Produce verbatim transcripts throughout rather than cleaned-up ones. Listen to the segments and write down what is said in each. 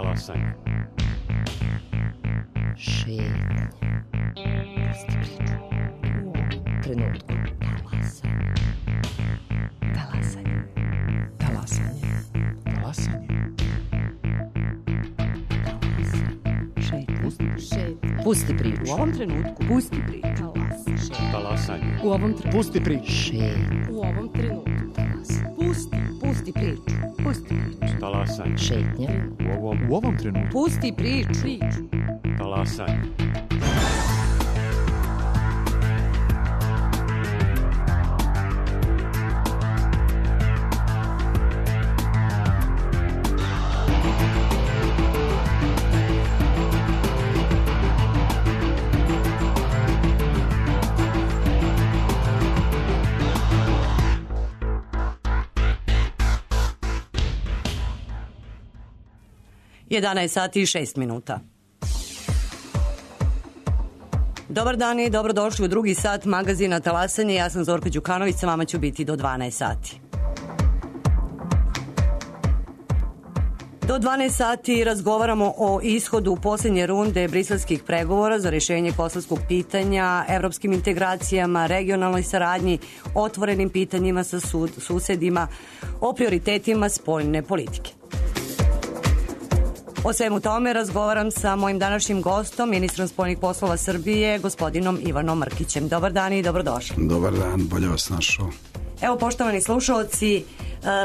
Talasanje. Šetnja. Pusti priču. U ovom trenutku. Talasanje. Talasanje. Talasanje. Talasanje. Šetnja. Pusti priču. U ovom trenutku. Pusti priču. Talasanje. U ovom trenutku. Pusti priču. Šetnja. U ovom trenutku. Talasanje. Pusti. Pusti priču. Pusti priču. Talasanje. Šetnja. U ovom, U ovom trenutku. Pusti priču. Priču. talasanje. jedanaest sati i šest minuta. Dobar dan i dobrodošli u drugi sat magazina Talasanje. Ja sam Zorka Đukanović, sa vama ću biti do dvanaest sati. Do dvanaest sati razgovaramo o ishodu posljednje runde briselskih pregovora za rješenje kosovskog pitanja, evropskim integracijama, regionalnoj saradnji, otvorenim pitanjima sa sud, susedima, o prioritetima spoljne politike. O svemu tome razgovaram sa mojim današnjim gostom, ministrom spoljnih poslova Srbije, gospodinom Ivanom Mrkićem. Dobar dan i dobrodošli. Dobar dan, bolje vas našao. Evo, poštovani slušalci,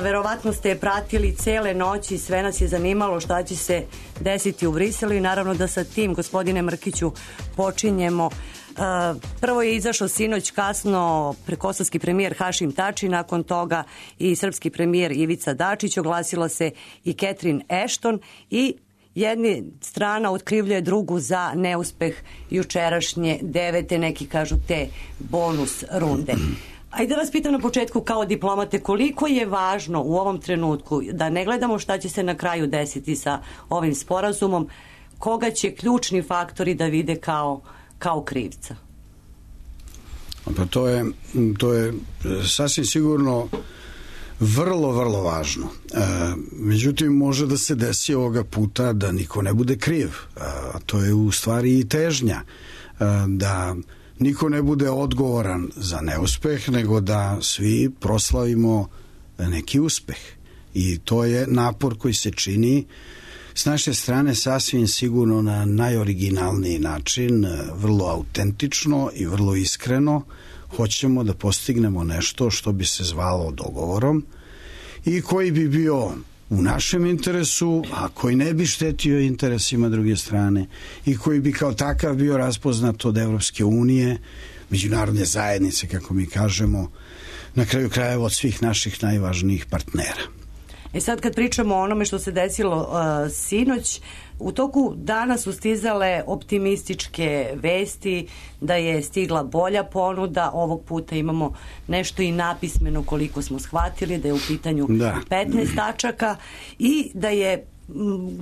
verovatno ste pratili cele noći, sve nas je zanimalo šta će se desiti u Briselu i naravno da sa tim, gospodine Mrkiću, počinjemo. Prvo je izašao sinoć kasno kosovski premijer Hašim Tači, nakon toga i srpski premijer Ivica Dačić, oglasila se i Catherine Ashton i jedna strana otkrivljuje drugu za neuspeh jučerašnje devete, neki kažu te bonus runde. Ajde da vas pitam na početku kao diplomate, koliko je važno u ovom trenutku da ne gledamo šta će se na kraju desiti sa ovim sporazumom, koga će ključni faktori da vide kao kao krivca? Pa to je, to je sasvim sigurno vrlo, vrlo važno. E, međutim, može da se desi ovoga puta da niko ne bude kriv. A to je u stvari i težnja. E, da niko ne bude odgovoran za neuspeh, nego da svi proslavimo neki uspeh. I to je napor koji se čini s naše strane sasvim sigurno na najoriginalniji način, vrlo autentično i vrlo iskreno. Hoćemo da postignemo nešto što bi se zvalo dogovorom i koji bi bio u našem interesu, a koji ne bi štetio interesima druge strane i koji bi kao takav bio raspoznat od Evropske unije, međunarodne zajednice, kako mi kažemo, na kraju krajeva od svih naših najvažnijih partnera. E sad kad pričamo o onome što se desilo uh, sinoć, u toku dana su stizale optimističke vesti da je stigla bolja ponuda, ovog puta imamo nešto i napismeno koliko smo shvatili, da je u pitanju da. petnaest tačaka i da je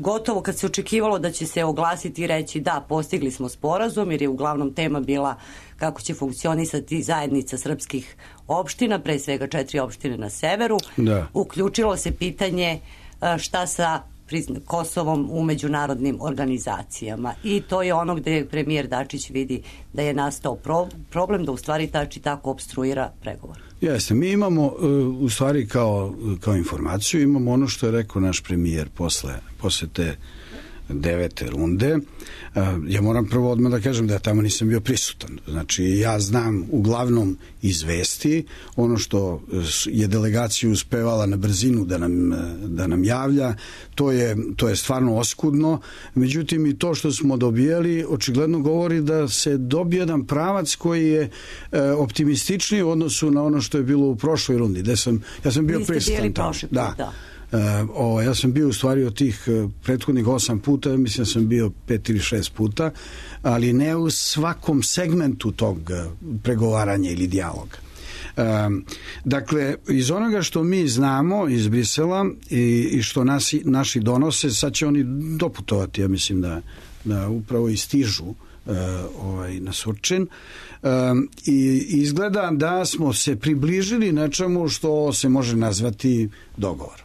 gotovo kad se očekivalo da će se oglasiti i reći da, postigli smo sporazum, jer je uglavnom tema bila kako će funkcionisati zajednica srpskih opština, pre svega četiri opštine na severu. Da. Uključilo se pitanje šta sa Kosovom u međunarodnim organizacijama i to je ono gde premijer Dačić vidi da je nastao pro, problem da u stvari Tači tako opstruira pregovor. Jeste, mi imamo u stvari kao, kao informaciju, imamo ono što je rekao naš premijer posle, posle te devete runde. Ja moram prvo odmah da kažem da ja tamo nisam bio prisutan. Znači, ja znam uglavnom iz vesti ono što je delegacija uspevala na brzinu da nam, da nam javlja. To je, to je stvarno oskudno. Međutim, i to što smo dobijali očigledno govori da se dobije jedan pravac koji je e, optimističniji u odnosu na ono što je bilo u prošloj rundi. Gde sam, ja sam bio prisutan tamo. Da. da. Uh, o, ja sam bio u stvari od tih uh, prethodnih osam puta, mislim da sam bio pet ili šest puta, ali ne u svakom segmentu tog uh, pregovaranja ili dijaloga. Uh, dakle, iz onoga što mi znamo iz Brisela i, i što nasi, naši donose, sad će oni doputovati, ja mislim da, da upravo i stižu uh, ovaj, na Surčin. Uh, i izgleda da smo se približili nečemu što se može nazvati dogovor.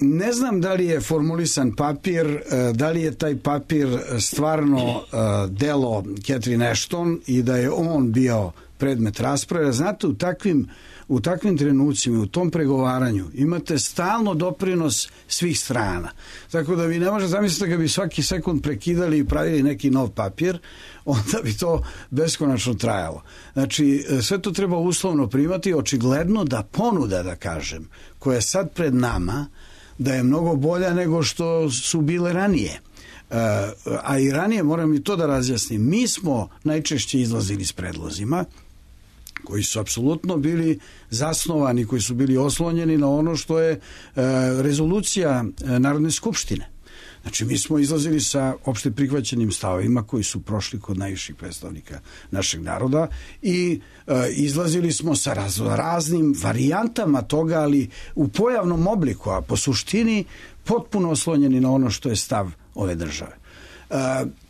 Ne znam da li je formulisan papir, da li je taj papir stvarno delo Catherine Ashton i da je on bio predmet rasprave. Znate, u takvim, u takvim trenucima, u tom pregovaranju imate stalno doprinos svih strana. Tako da vi ne možete zamisliti da bi svaki sekund prekidali i pravili neki nov papir, onda bi to beskonačno trajalo. Znači, sve to treba uslovno primati, očigledno da ponuda, da kažem, koja je sad pred nama, da je mnogo bolja nego što su bile ranije. A i ranije, moram i to da razjasnim, mi smo najčešće izlazili s predlozima koji su apsolutno bili zasnovani, koji su bili oslonjeni na ono što je rezolucija Narodne skupštine. Znači, mi smo izlazili sa opšte prihvaćenim stavovima koji su prošli kod najviših predstavnika našeg naroda i e, izlazili smo sa raz, raznim varijantama toga, ali u pojavnom obliku, a po suštini potpuno oslonjeni na ono što je stav ove države. E,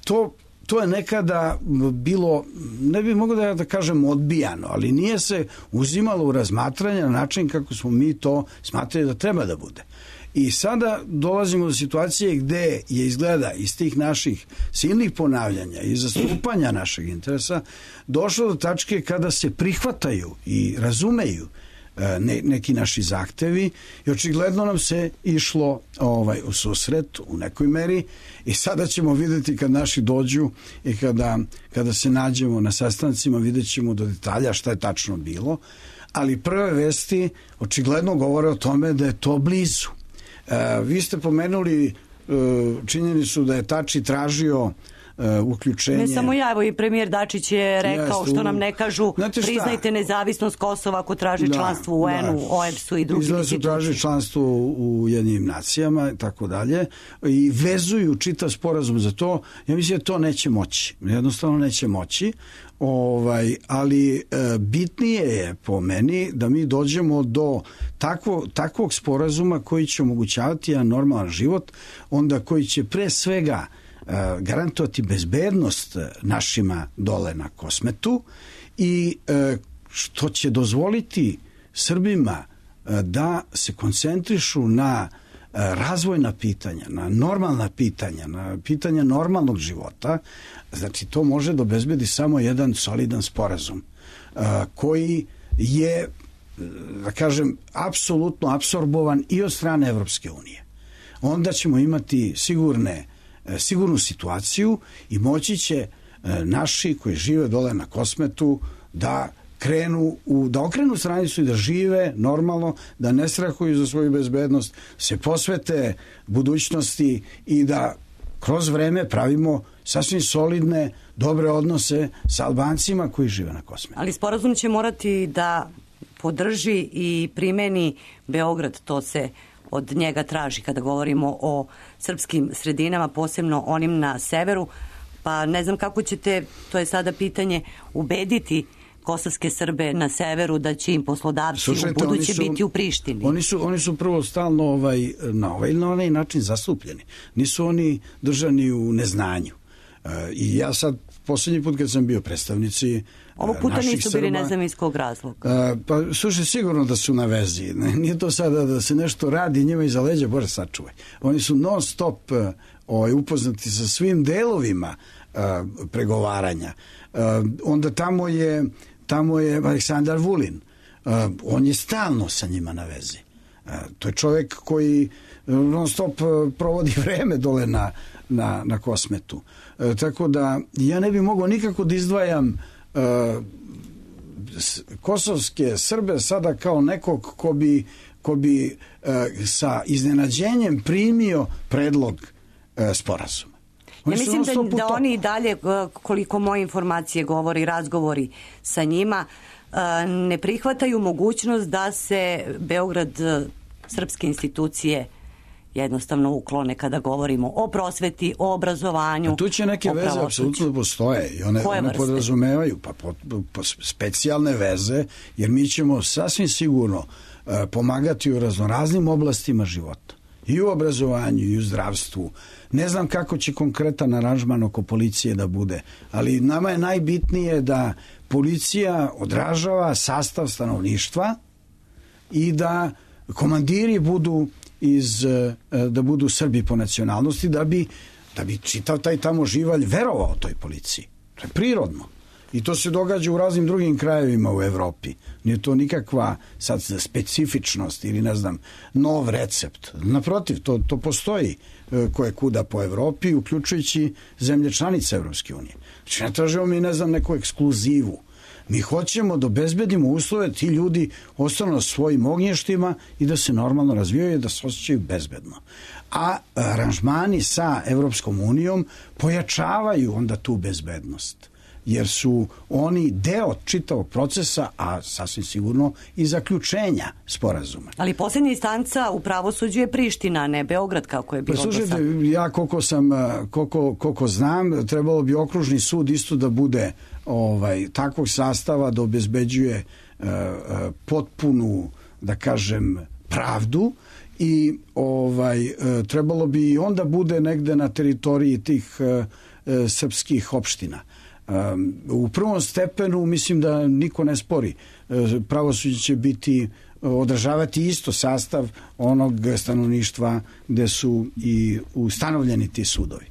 to To je nekada bilo, ne bih mogao da, da kažem odbijano, ali nije se uzimalo u razmatranje na način kako smo mi to smatrali da treba da bude. I sada dolazimo do situacije gde je izgleda iz tih naših silnih ponavljanja i zastupanja našeg interesa došlo do tačke kada se prihvataju i razumeju ne, neki naši zahtevi i očigledno nam se išlo ovaj, u susret u nekoj meri i sada ćemo videti kad naši dođu i kada, kada se nađemo na sastancima vidjet ćemo do detalja šta je tačno bilo, ali prve vesti očigledno govore o tome da je to blizu. E, vi ste pomenuli e, činjenicu da je Tači tražio uh, uključenje. Ne samo ja, evo i premijer Dačić je rekao Jeste, što nam ne kažu, priznajte nezavisnost Kosova ako traži da, članstvo u U N-u, da. O E B S-u i drugim Izgleda su traži članstvo u Ujedinjenim nacijama i tako dalje i vezuju čitav sporazum za to. Ja mislim da to neće moći. Jednostavno neće moći. Ovaj, ali e, bitnije je po meni da mi dođemo do takvo, takvog sporazuma koji će omogućavati jedan normalan život, onda koji će pre svega e, garantovati bezbednost našima dole na Kosmetu i e, što će dozvoliti Srbima e, da se koncentrišu na razvojna pitanja, na normalna pitanja, na pitanja normalnog života. Znači, to može da obezbedi samo jedan solidan sporazum uh, koji je, da kažem, apsolutno apsorbovan i od strane Evropske unije. Onda ćemo imati sigurne, sigurnu situaciju i moći će uh, naši koji žive dole na Kosmetu da krenu u, da okrenu stranicu i da žive normalno, da ne strahuju za svoju bezbednost, se posvete budućnosti i da kroz vreme pravimo sasvim solidne, dobre odnose sa Albancima koji žive na Kosmetu. Ali sporazum će morati da podrži i primeni Beograd, to se od njega traži kada govorimo o srpskim sredinama, posebno onim na severu, pa ne znam kako ćete, to je sada pitanje, ubediti kosovske Srbe na severu da će im poslodavci Slušajte, u buduće su, biti u Prištini. Oni su, oni su prvo stalno ovaj, na ovaj ili na onaj način zastupljeni. Nisu oni držani u neznanju. E, I ja sad, posljednji put kad sam bio predstavnici ovog puta nisu bili, ne znam iz kog razloga. E, pa slušaj, sigurno da su na vezi. Nije to sada da se nešto radi njima iza leđa, Bože sačuvaj. Oni su non stop ovaj, upoznati sa svim delovima e, pregovaranja. E, onda tamo je Tamo je Aleksandar Vulin. Uh, on je stalno sa njima na vezi. Uh, to je čovjek koji non stop uh, provodi vreme dole na, na, na Kosmetu. Uh, tako da ja ne bih mogao nikako da izdvajam uh, kosovske Srbe sada kao nekog ko bi, ko bi uh, sa iznenađenjem primio predlog uh, sporazuma. Ja mislim da, da oni i dalje, koliko moje informacije govori, razgovori sa njima, ne prihvataju mogućnost da se Beograd, srpske institucije jednostavno uklone kada govorimo o prosveti, o obrazovanju. A tu će neke veze apsolutno postoje i one, one podrazumevaju pa, po, po, specijalne veze, jer mi ćemo sasvim sigurno uh, pomagati u raznoraznim oblastima života. I u obrazovanju, i u zdravstvu. Ne znam kako će konkretan aranžman oko policije da bude, ali nama je najbitnije da policija odražava sastav stanovništva i da komandiri budu iz, da budu Srbi po nacionalnosti, da bi, da bi čitav taj tamo živalj verovao toj policiji. To je prirodno. I to se događa u raznim drugim krajevima u Evropi. Nije to nikakva sad specifičnost ili ne znam, nov recept. Naprotiv, to, to postoji koje kuda po Evropi, uključujući zemlje članice Evropske unije. Znači, ne tražimo mi, ne znam, neku ekskluzivu. Mi hoćemo da obezbedimo uslove, ti ljudi ostanu na svojim ognjištima i da se normalno razvijaju i da se osjećaju bezbedno. A aranžmani sa Evropskom unijom pojačavaju onda tu bezbednost, jer su oni deo čitavog procesa, a sasvim sigurno i zaključenja sporazuma. Ali posljednja instanca u pravosuđu je Priština, a ne Beograd, kako je bilo do sada. Ja koliko sam, koliko, koliko znam, trebalo bi okružni sud isto da bude ovaj, takvog sastava da obezbeđuje uh, potpunu, da kažem, pravdu i ovaj, uh, trebalo bi onda bude negde na teritoriji tih uh, uh, srpskih opština. Um, u prvom stepenu mislim da niko ne spori. Pravosuđe će biti odražavati isto sastav onog stanovništva gde su i ustanovljeni ti sudovi.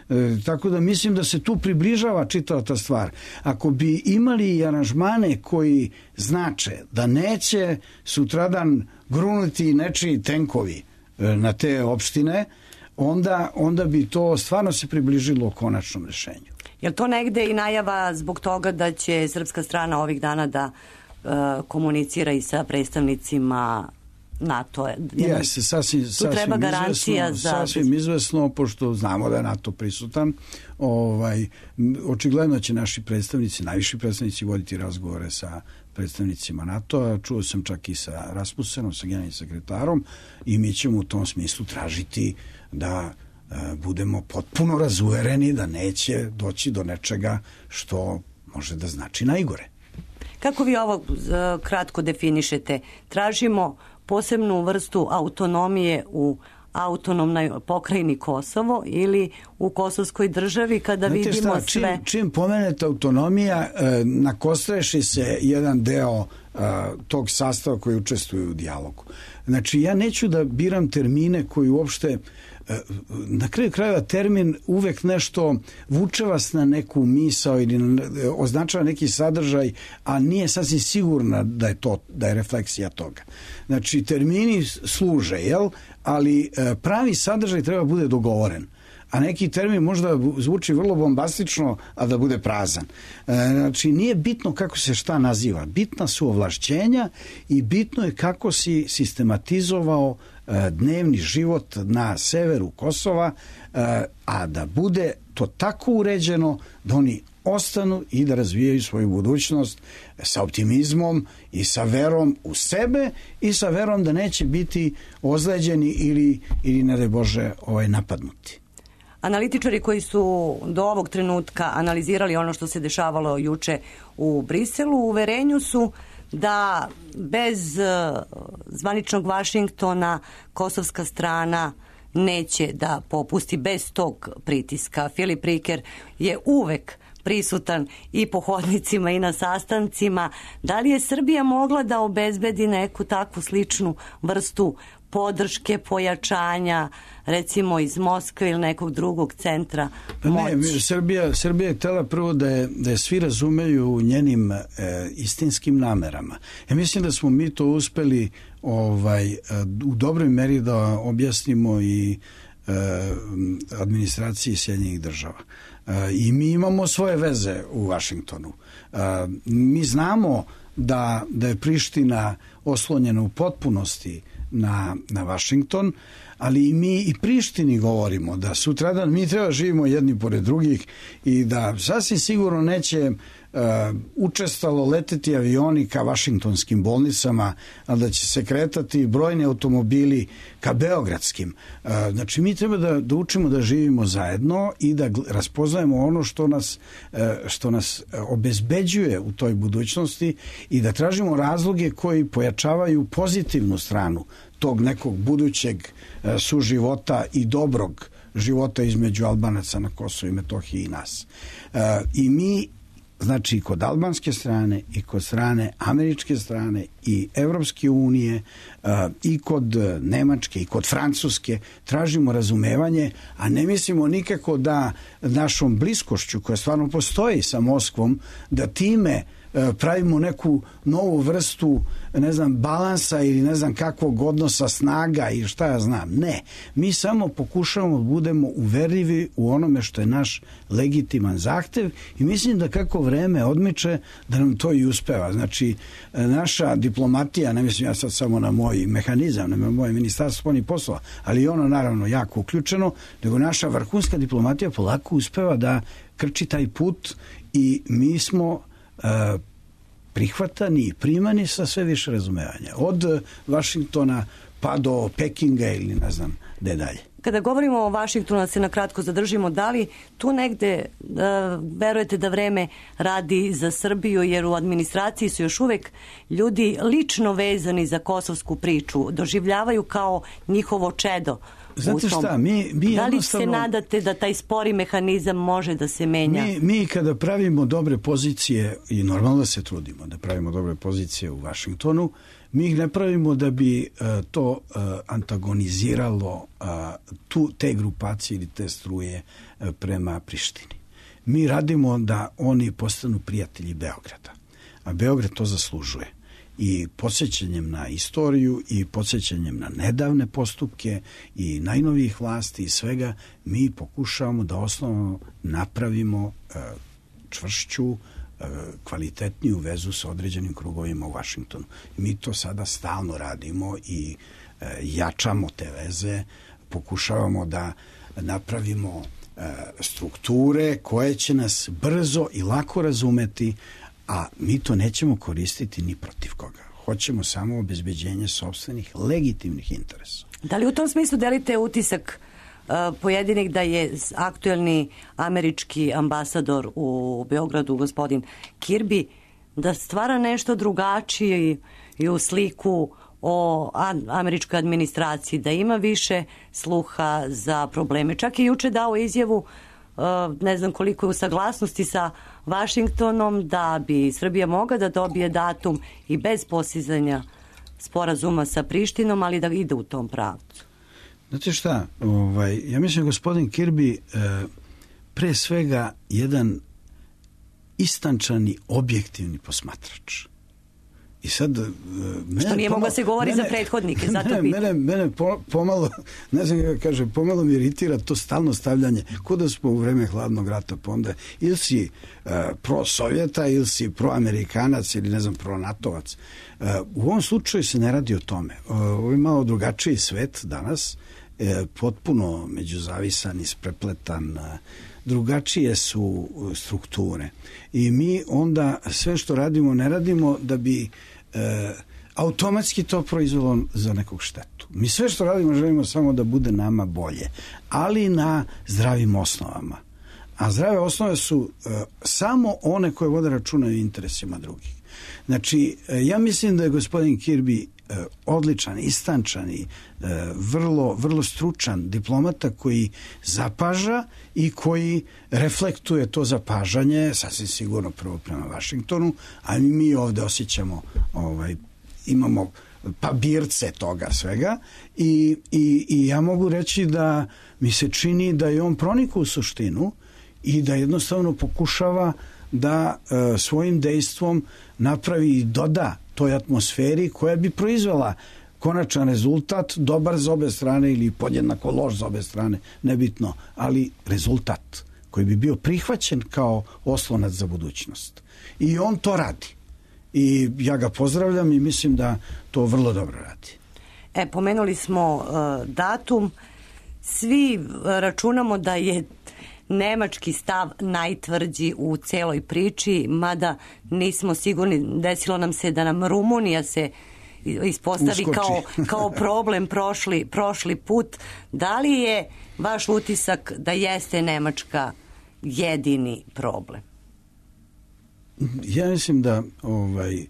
E, tako da mislim da se tu približava čitava ta stvar. Ako bi imali i aranžmane koji znače da neće sutradan grunuti nečiji tenkovi na te opštine, onda, onda bi to stvarno se približilo konačnom rešenju. Je li to negde i najava zbog toga da će srpska strana ovih dana da uh, komunicira i sa predstavnicima NATO-a? Jeste, sasvim, tu treba sasvim garancija izvesno, za... Sasvim izvesno, pošto znamo da je NATO prisutan. Ovaj, očigledno će naši predstavnici, najviši predstavnici voditi razgovore sa predstavnicima NATO-a. Čuo sam čak i sa Rasmussenom, sa generalnim sekretarom, i mi ćemo u tom smislu tražiti da budemo potpuno razuvereni da neće doći do nečega što može da znači najgore. Kako vi ovo kratko definišete? Tražimo posebnu vrstu autonomije u autonomnoj pokrajini Kosovo ili u kosovskoj državi kada Znate vidimo šta, sve... Čim, čim pomenete autonomija, nakostreši se jedan deo tog sastava koji učestvuju u dijalogu. Znači, ja neću da biram termine koji uopšte na kraju krajeva termin uvek nešto vuče vas na neku misao ili označava neki sadržaj, a nije sasvim sigurna da je to, da je refleksija toga. Znači, termini služe, jel? Ali pravi sadržaj treba bude dogovoren. A neki termin možda zvuči vrlo bombastično, a da bude prazan. Znači, nije bitno kako se šta naziva. Bitna su ovlašćenja i bitno je kako si sistematizovao dnevni život na severu Kosova, a da bude to tako uređeno da oni ostanu i da razvijaju svoju budućnost sa optimizmom i sa verom u sebe i sa verom da neće biti ozleđeni ili, ili ne daj Bože, ovaj, napadnuti. Analitičari koji su do ovog trenutka analizirali ono što se dešavalo juče u Briselu, u uverenju su da bez zvaničnog Vašingtona kosovska strana neće da popusti bez tog pritiska. Filip Riker je uvek prisutan i po hodnicima i na sastancima. Da li je Srbija mogla da obezbedi neku takvu sličnu vrstu podrške, pojačanja, recimo iz Moskve ili nekog drugog centra moći? Ne, Srbija, Srbija je htjela prvo da je, da je svi razumeju njenim e, istinskim namerama. Ja mislim da smo mi to uspeli ovaj, u dobroj meri da objasnimo i e, administraciji Sjedinjenih država. E, I mi imamo svoje veze u Vašingtonu. E, mi znamo da, da je Priština oslonjena u potpunosti na, na Vašington, ali i mi i Prištini govorimo da sutradan mi treba živimo jedni pored drugih i da sasvim sigurno neće uh, učestalo leteti avioni ka vašingtonskim bolnicama, a da će se kretati brojni automobili ka beogradskim. Uh, znači mi treba da, da učimo da živimo zajedno i da raspoznajemo ono što nas, uh, što nas obezbeđuje u toj budućnosti i da tražimo razloge koji pojačavaju pozitivnu stranu tog nekog budućeg suživota i dobrog života između Albanaca na Kosovu i Metohiji i nas. I mi znači i kod albanske strane i kod strane američke strane i Evropske unije i kod Nemačke i kod Francuske tražimo razumevanje, a ne mislimo nikako da našom bliskošću koja stvarno postoji sa Moskvom, da time pravimo neku novu vrstu, ne znam, balansa ili ne znam kakvog odnosa snaga i šta ja znam. Ne. Mi samo pokušavamo da budemo uverljivi u onome što je naš legitiman zahtev i mislim da kako vreme odmiče da nam to i uspeva. Znači, naša diplomatija, ne mislim ja sad samo na moj mehanizam, na moje ministarstvo spoljnih poslova, ali i ono naravno jako uključeno, nego naša vrhunska diplomatija polako uspeva da krči taj put i mi smo prihvatani i primani sa sve više razumevanja. Od Vašingtona pa do Pekinga ili ne znam gde dalje. Kada govorimo o Vašingtonu, da se na kratko zadržimo, da li tu negde uh, verujete da vreme radi za Srbiju, jer u administraciji su još uvek ljudi lično vezani za kosovsku priču, doživljavaju kao njihovo čedo. Znate šta, mi, mi da li se nadate da taj spori mehanizam može da se menja? Mi, mi kada pravimo dobre pozicije, i normalno da se trudimo da pravimo dobre pozicije u Vašingtonu, mi ih ne pravimo da bi uh, to uh, antagoniziralo uh, tu, te grupacije ili te struje uh, prema Prištini. Mi radimo da oni postanu prijatelji Beograda, a Beograd to zaslužuje. I podsjećanjem na istoriju i podsjećanjem na nedavne postupke i najnovijih vlasti i svega, mi pokušavamo da osnovno napravimo uh, čvršću, uh, kvalitetniju vezu sa određenim krugovima u Vašingtonu. Mi to sada stalno radimo i uh, jačamo te veze, pokušavamo da napravimo uh, strukture koje će nas brzo i lako razumeti, a mi to nećemo koristiti ni protiv koga. Hoćemo samo obezbeđenje sopstvenih legitimnih interesa. Da li u tom smislu delite utisak uh, pojedinih da je aktuelni američki ambasador u Beogradu, gospodin Kirby, da stvara nešto drugačije i u sliku o američkoj administraciji, da ima više sluha za probleme? Čak i juče dao izjavu, ne znam koliko je u saglasnosti sa Vašingtonom, da bi Srbija mogla da dobije datum i bez postizanja sporazuma sa Prištinom, ali da ide u tom pravcu. Znate šta, ovaj, ja mislim gospodin Kirby eh, pre svega jedan istančani, objektivni posmatrač. I sad, mene, što nije moglo se govori mene, za prethodnike, zato mene, pitam. Mene, mene pomalo, ne znam kako kaže, pomalo mi iritira to stalno stavljanje, ko da smo u vreme hladnog rata, pa onda ili si uh, pro-sovjeta, ili si pro-amerikanac, ili ne znam, pro-natovac. Uh, u ovom slučaju se ne radi o tome. Uh, ovo je malo drugačiji svet danas, uh, potpuno međuzavisan, isprepletan, uh, drugačije su strukture. I mi onda sve što radimo, ne radimo da bi e, automatski to proizvelo za nekog štetu. Mi sve što radimo želimo samo da bude nama bolje, ali na zdravim osnovama. A zdrave osnove su e, samo one koje vode računa o interesima drugih. Znači, e, ja mislim da je gospodin Kirby e, odličan, istančan i e, vrlo, vrlo stručan diplomata koji zapaža i koji reflektuje to zapažanje, sasvim sigurno prvo prema Vašingtonu, a mi ovde osjećamo, ovaj, imamo pabirce toga svega i, i, i ja mogu reći da mi se čini da je on pronikao u suštinu i da jednostavno pokušava da e, svojim dejstvom napravi i doda toj atmosferi koja bi proizvela konačan rezultat, dobar za obe strane ili podjednako loš za obe strane, nebitno, ali rezultat koji bi bio prihvaćen kao oslonac za budućnost. I on to radi. I ja ga pozdravljam i mislim da to vrlo dobro radi. E, pomenuli smo uh, datum. Svi računamo da je nemački stav najtvrđi u celoj priči, mada nismo sigurni, desilo nam se da nam Rumunija se ispostavi kao, kao problem prošli, prošli put. Da li je vaš utisak da jeste Nemačka jedini problem? Ja mislim da ovaj,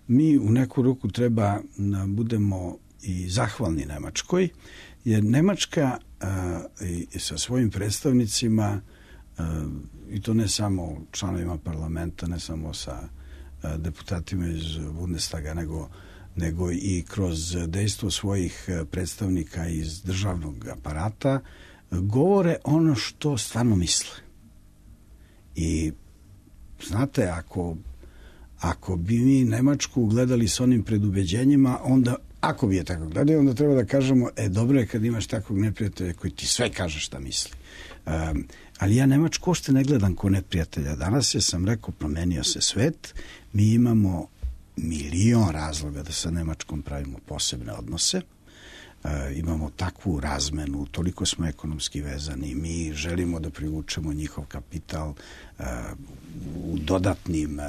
mi u neku ruku treba da budemo i zahvalni Nemačkoj, jer Nemačka a, i sa svojim predstavnicima i to ne samo članovima parlamenta, ne samo sa deputatima iz Bundestaga, nego, nego i kroz dejstvo svojih predstavnika iz državnog aparata, govore ono što stvarno misle. I znate, ako, ako bi mi Nemačku gledali s onim predubeđenjima, onda, ako bi je tako gledali, onda treba da kažemo, e, dobro je kad imaš takvog neprijatelja koji ti sve kaže šta misli. Um, ali ja Nemačku uopšte ne gledam ko neprijatelja. Danas je, sam rekao, promenio se svet, mi imamo milion razloga da sa Nemačkom pravimo posebne odnose. Uh, imamo takvu razmenu, toliko smo ekonomski vezani, mi želimo da privučemo njihov kapital uh, u dodatnim uh,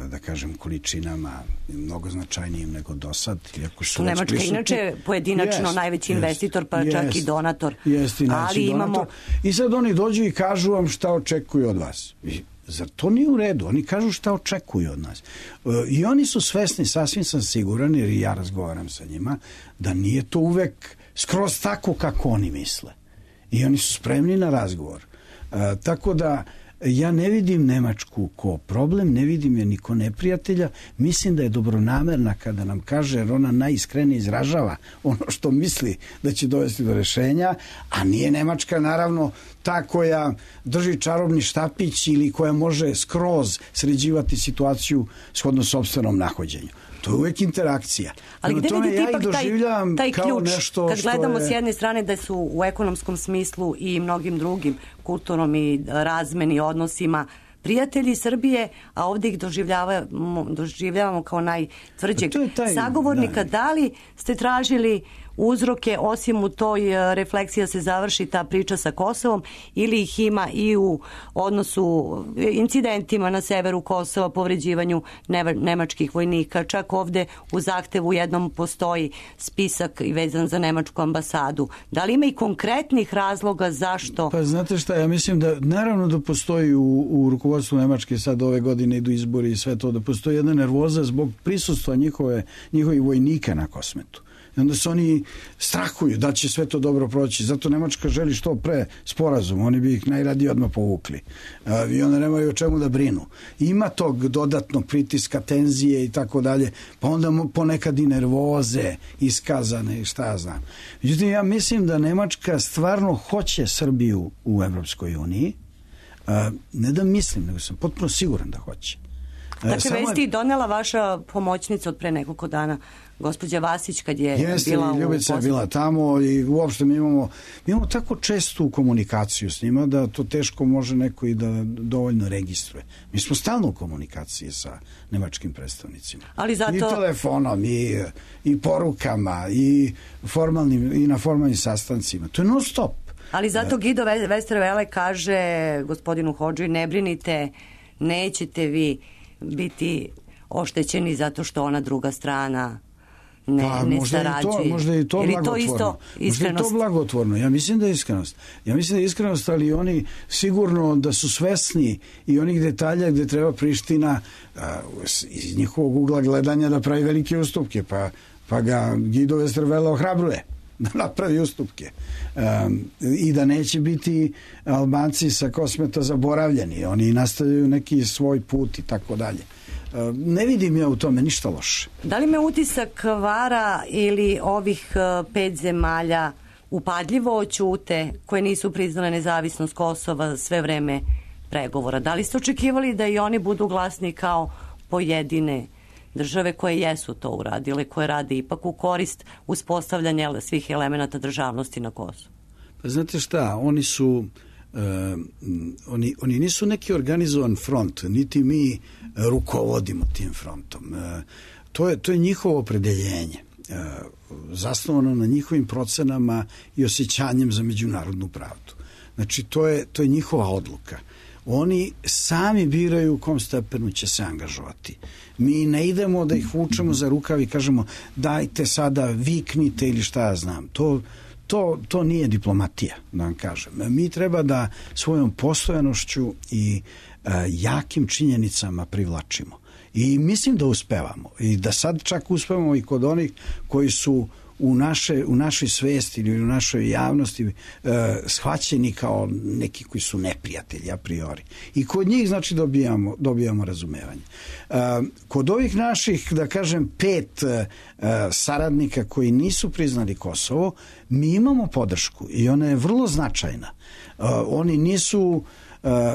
da kažem količinama, mnogo značajnijim nego do sad. Su Nemačka je inače pojedinačno jest, najveći investitor, pa jest, čak i donator. Jest i najveći donator. Imamo... I sad oni dođu i kažu vam šta očekuju od vas. I zar to nije u redu? Oni kažu šta očekuju od nas. I oni su svesni, sasvim sam siguran, jer i ja razgovaram sa njima, da nije to uvek skroz tako kako oni misle. I oni su spremni na razgovor. Uh, tako da ja ne vidim Nemačku ko problem, ne vidim je niko neprijatelja, mislim da je dobronamerna kada nam kaže, jer ona najiskrenije izražava ono što misli da će dovesti do rešenja, a nije Nemačka naravno ta koja drži čarobni štapić ili koja može skroz sređivati situaciju shodno sopstvenom nahođenju. To je uvek interakcija. Ali gde vidite ja ipak taj, taj ključ, nešto kad gledamo je... s jedne strane da su u ekonomskom smislu i mnogim drugim kulturnom i razmeni odnosima prijatelji Srbije, a ovdje ih doživljavamo, doživljavamo kao najtvrđeg taj, sagovornika. Da. da li ste tražili uzroke, osim u toj refleksiji da se završi ta priča sa Kosovom, ili ih ima i u odnosu incidentima na severu Kosova, povređivanju nemačkih vojnika, čak ovde u zahtevu jednom postoji spisak vezan za nemačku ambasadu. Da li ima i konkretnih razloga zašto? Pa znate šta, ja mislim da naravno da postoji u, u rukovodstvu Nemačke, sad ove godine idu izbori i sve to, da postoji jedna nervoza zbog prisustva njihove, njihovih vojnika na Kosmetu. I onda se oni strahuju da će sve to dobro proći. Zato Nemačka želi što pre sporazum. Oni bi ih najradije odmah povukli. I onda nemaju o čemu da brinu. Ima tog dodatnog pritiska, tenzije i tako dalje. Pa onda ponekad i nervoze iskazane i šta ja znam. Međutim, ja mislim da Nemačka stvarno hoće Srbiju u Evropskoj uniji. Ne da mislim, nego sam potpuno siguran da hoće. Dakle, vesti je donela vaša pomoćnica od pre nekoliko dana, gospođa Vasić, kad je Jeste, bila u Ljubica je bila tamo i uopšte mi imamo, mi imamo tako čestu komunikaciju s njima da to teško može neko i da dovoljno registruje. Mi smo stalno u komunikaciji sa nemačkim predstavnicima. Ali zato... I telefonom, i, i porukama, i, formalnim, i na formalnim sastancima. To je non stop. Ali zato Guido Westerwelle kaže gospodinu Hodži, ne brinite, nećete vi biti oštećeni zato što ona druga strana ne, pa, ne možda sarađuje. I to, možda i to Ili blagotvorno. To isto možda je to blagotvorno. Ja mislim da je iskrenost. Ja mislim da je iskrenost, ali oni sigurno da su svesni i onih detalja gde treba Priština a, iz njihovog ugla gledanja da pravi velike ustupke, pa, pa ga Guido Westerwelle ohrabruje da napravi ustupke. Um, i da neće biti Albanci sa Kosmeta zaboravljeni. Oni nastavljaju neki svoj put i tako dalje. Um, ne vidim ja u tome ništa loše. Da li me utisak vara ili ovih uh, pet zemalja upadljivo ćute koje nisu priznale nezavisnost Kosova sve vreme pregovora? Da li ste očekivali da i oni budu glasni kao pojedine države koje jesu to uradile, koje rade ipak u korist uspostavljanja svih elemenata državnosti na Kosovu? Pa znate šta, oni su uh, oni, oni nisu neki organizovan front, niti mi rukovodimo tim frontom. Uh, to je, to je njihovo opredeljenje, uh, zasnovano na njihovim procenama i osjećanjem za međunarodnu pravdu. Znači, to je, to je njihova odluka. Oni sami biraju u kom stepenu će se angažovati. Mi ne idemo da ih vučemo za rukav i kažemo dajte sada, viknite ili šta ja znam. To, to, to nije diplomatija, da vam kažem. Mi treba da svojom postojanošću i e, jakim činjenicama privlačimo. I mislim da uspevamo. I da sad čak uspevamo i kod onih koji su u, naše, u našoj svesti ili u našoj javnosti e, shvaćeni kao neki koji su neprijatelji a priori. I kod njih znači dobijamo, dobijamo razumevanje. E, kod ovih naših, da kažem, pet e, saradnika koji nisu priznali Kosovo, mi imamo podršku i ona je vrlo značajna. E, oni nisu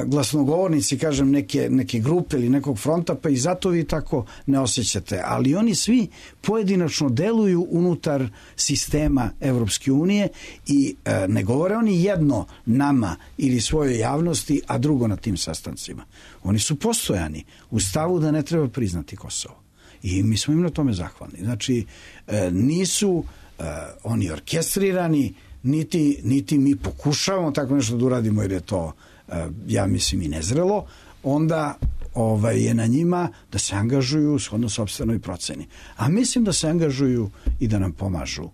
glasnogovornici, kažem, neke, neke grupe ili nekog fronta, pa i zato vi tako ne osjećate. Ali oni svi pojedinačno deluju unutar sistema Evropske unije i e, ne govore oni jedno nama ili svojoj javnosti, a drugo na tim sastancima. Oni su postojani u stavu da ne treba priznati Kosovo. I mi smo im na tome zahvalni. Znači, e, nisu e, oni orkestrirani, niti, niti mi pokušavamo tako nešto da uradimo jer je to ja mislim i nezrelo, onda ovaj, je na njima da se angažuju shodno sopstvenoj proceni. A mislim da se angažuju i da nam pomažu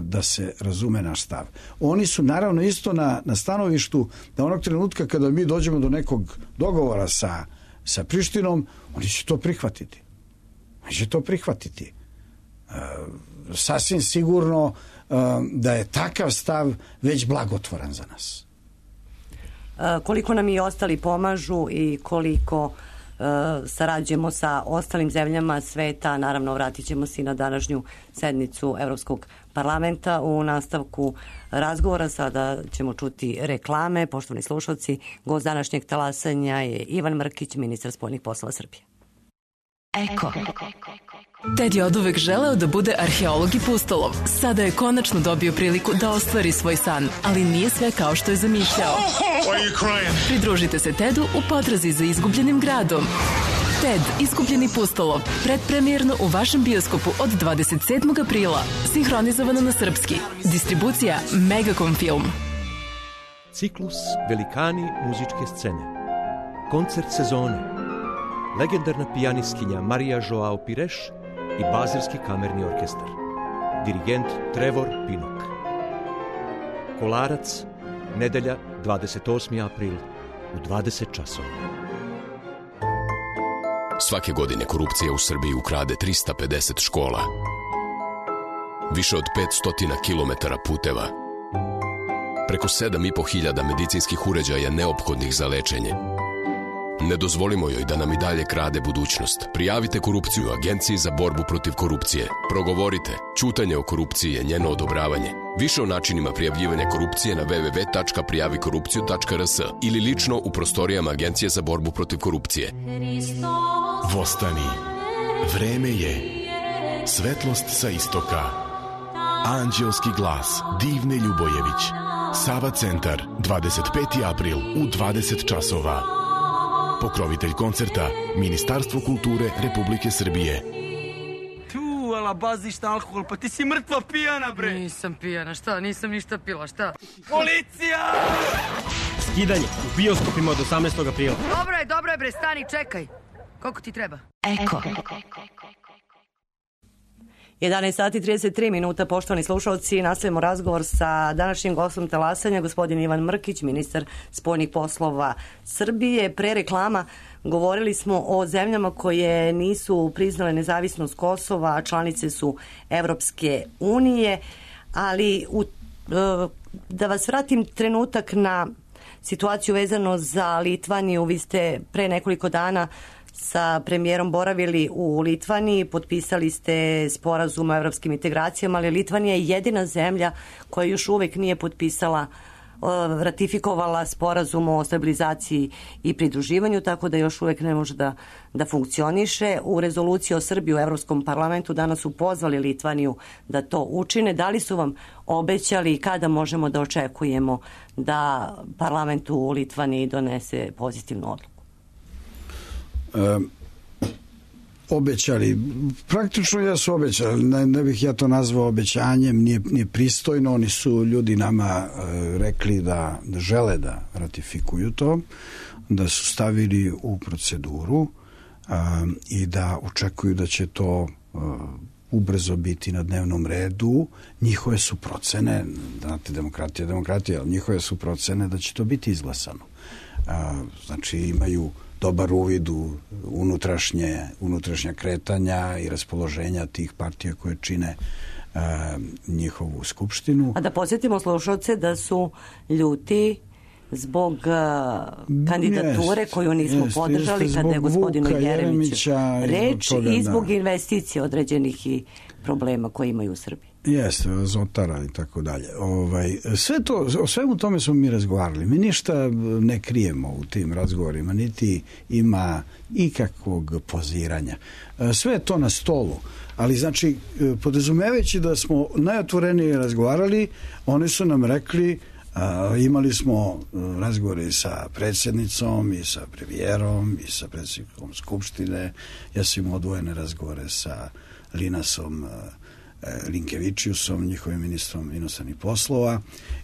da se razume naš stav. Oni su naravno isto na, na stanovištu da onog trenutka kada mi dođemo do nekog dogovora sa, sa Prištinom, oni će to prihvatiti. Oni će to prihvatiti. E, sasvim sigurno e, da je takav stav već blagotvoran za nas. Koliko nam i ostali pomažu i koliko uh, sarađujemo sa ostalim zemljama sveta. Naravno, vratit ćemo se i na današnju sednicu Evropskog parlamenta. U nastavku razgovora sada ćemo čuti reklame. Poštovani slušalci, gost današnjeg talasanja je Ivan Mrkić, ministar spoljnih poslova Srbije. Eko. Ted je oduvek želeo da bude arheolog i pustolov. Sada je konačno dobio priliku da ostvari svoj san, ali nije sve kao što je zamišljao. Pridružite se Tedu u potrazi za izgubljenim gradom. Ted, izgubljeni pustolov, predpremijerno u vašem bioskopu od dvadeset sedmog aprila. Sinhronizovano na srpski. Distribucija Megacom Film. Ciklus Velikani muzičke scene. Koncert sezone. Legendarna pijanistkinja Marija Joao Pires i Bazilski kamerni orkestar. Dirigent Trevor Pinnock. Kolarac, nedelja dvadeset osmi april u dvadeset časova. Svake godine korupcija u Srbiji ukrade trista pedeset škola, više od petsto kilometara puteva, preko sedam i po hiljada medicinskih uređaja neophodnih za lečenje. Ne dozvolimo joj da nam i dalje krade budućnost. Prijavite korupciju Agenciji za borbu protiv korupcije. Progovorite. Ćutanje o korupciji je njeno odobravanje. Više o načinima prijavljivanja korupcije na w w w tačka prijavi korupciju tačka r s ili lično u prostorijama Agencije za borbu protiv korupcije. Vostani. Vreme je. Svetlost sa istoka. Anđelski glas Divne Ljubojević. Sava centar, dvadeset peti april u dvadeset časova. Pokrovitelj koncerta Ministarstvo kulture Republike Srbije. Tu, ala baziš na alkohol, pa ti si mrtva pijana, bre. Nisam pijana, šta? Nisam ništa pila, šta? Policija! Skidanje u bioskopima od osamnaestog aprila. Dobro je, dobro je, bre, stani, čekaj. Koliko ti treba? Eko. jedanaest sati i trideset tri minuta, poštovani slušalci, nastavimo razgovor sa današnjim gostom talasanja, gospodin Ivan Mrkić, ministar spoljnih poslova Srbije. Pre reklama govorili smo o zemljama koje nisu priznale nezavisnost Kosova, a članice su Evropske unije, ali u, da vas vratim trenutak na situaciju vezano za Litvaniju. Vi ste pre nekoliko dana sa premijerom boravili u Litvaniji, potpisali ste sporazum o evropskim integracijama, ali Litvanija je jedina zemlja koja još uvek nije potpisala, ratifikovala sporazum o stabilizaciji i pridruživanju, tako da još uvek ne može da, da funkcioniše. U rezoluciji o Srbiji u Evropskom parlamentu danas su pozvali Litvaniju da to učine. Da li su vam obećali i kada možemo da očekujemo da parlament u Litvaniji donese pozitivnu odluku? E, obećali, praktično ja su obećali, ne, ne bih ja to nazvao obećanjem, nije, nije pristojno, oni su ljudi nama e, rekli da, da žele da ratifikuju to, da su stavili u proceduru e, i da očekuju da će to e, ubrzo biti na dnevnom redu. Njihove su procene, znate, demokratija je demokratija, ali njihove su procene da će to biti izglasano. E, znači imaju dobar uvid u unutrašnje, unutrašnja kretanja i raspoloženja tih partija koje čine a, njihovu skupštinu. A da podsjetimo slušalce da su ljuti zbog uh, kandidature jest, koju nismo jest, podržali jest, kada je gospodinu Jeremiću reč toga, i zbog da. investicije određenih i problema koje imaju u Srbiji. Jeste, Azotara i tako dalje. Ovaj, sve to, o svemu tome smo mi razgovarali. Mi ništa ne krijemo u tim razgovorima, niti ima ikakvog poziranja. Sve je to na stolu. Ali znači, podrazumevajući da smo najotvorenije razgovarali, oni su nam rekli, a, imali smo razgovore sa predsjednicom i sa premijerom i sa predsjednikom Skupštine. Ja sam imao odvojene razgovore sa Linasom Linkevičiusom, njihovim ministrom inostranih poslova,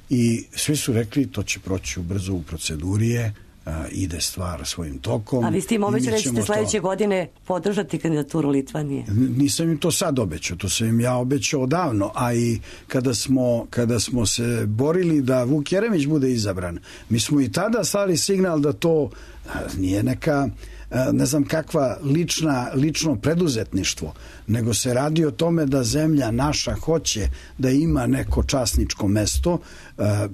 i svi su rekli to će proći brzo u procedurije, a, ide stvar svojim tokom. A vi ste im obećali da ćete sledeće to... godine podržati kandidaturu Litvanije? Nisam im to sad obećao, to sam im ja obećao odavno, a i kada smo, kada smo se borili da Vuk Jeremić bude izabran, mi smo i tada slali signal da to a, nije neka ne znam kakva lična, lično preduzetništvo, nego se radi o tome da zemlja naša hoće da ima neko časničko mesto,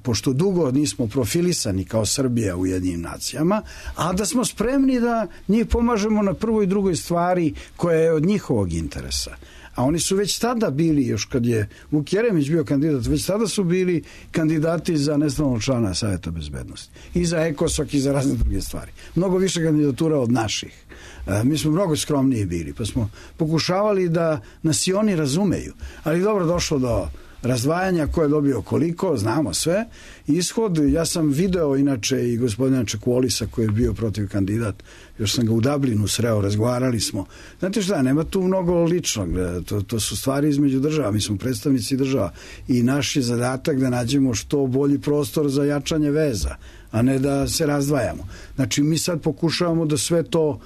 pošto dugo nismo profilisani kao Srbija u Ujedinjenim nacijama, a da smo spremni da njih pomažemo na prvoj i drugoj stvari koja je od njihovog interesa. A oni su već tada bili, još kad je Vuk Jeremić bio kandidat, već tada su bili kandidati za nestalnog člana Savjeta bezbednosti. I za ECOSOC i za razne druge stvari. Mnogo više kandidatura od naših. E, mi smo mnogo skromniji bili, pa smo pokušavali da nas i oni razumeju. Ali dobro, došlo do razdvajanja, ko je dobio koliko, znamo sve. Ishod, ja sam video inače i gospodina Čekuolisa koji je bio protiv kandidat, još sam ga u Dublinu sreo, razgovarali smo. Znate šta, nema tu mnogo ličnog, to, to su stvari između država, mi smo predstavnici država i naš je zadatak da nađemo što bolji prostor za jačanje veza, a ne da se razdvajamo. Znači mi sad pokušavamo da sve to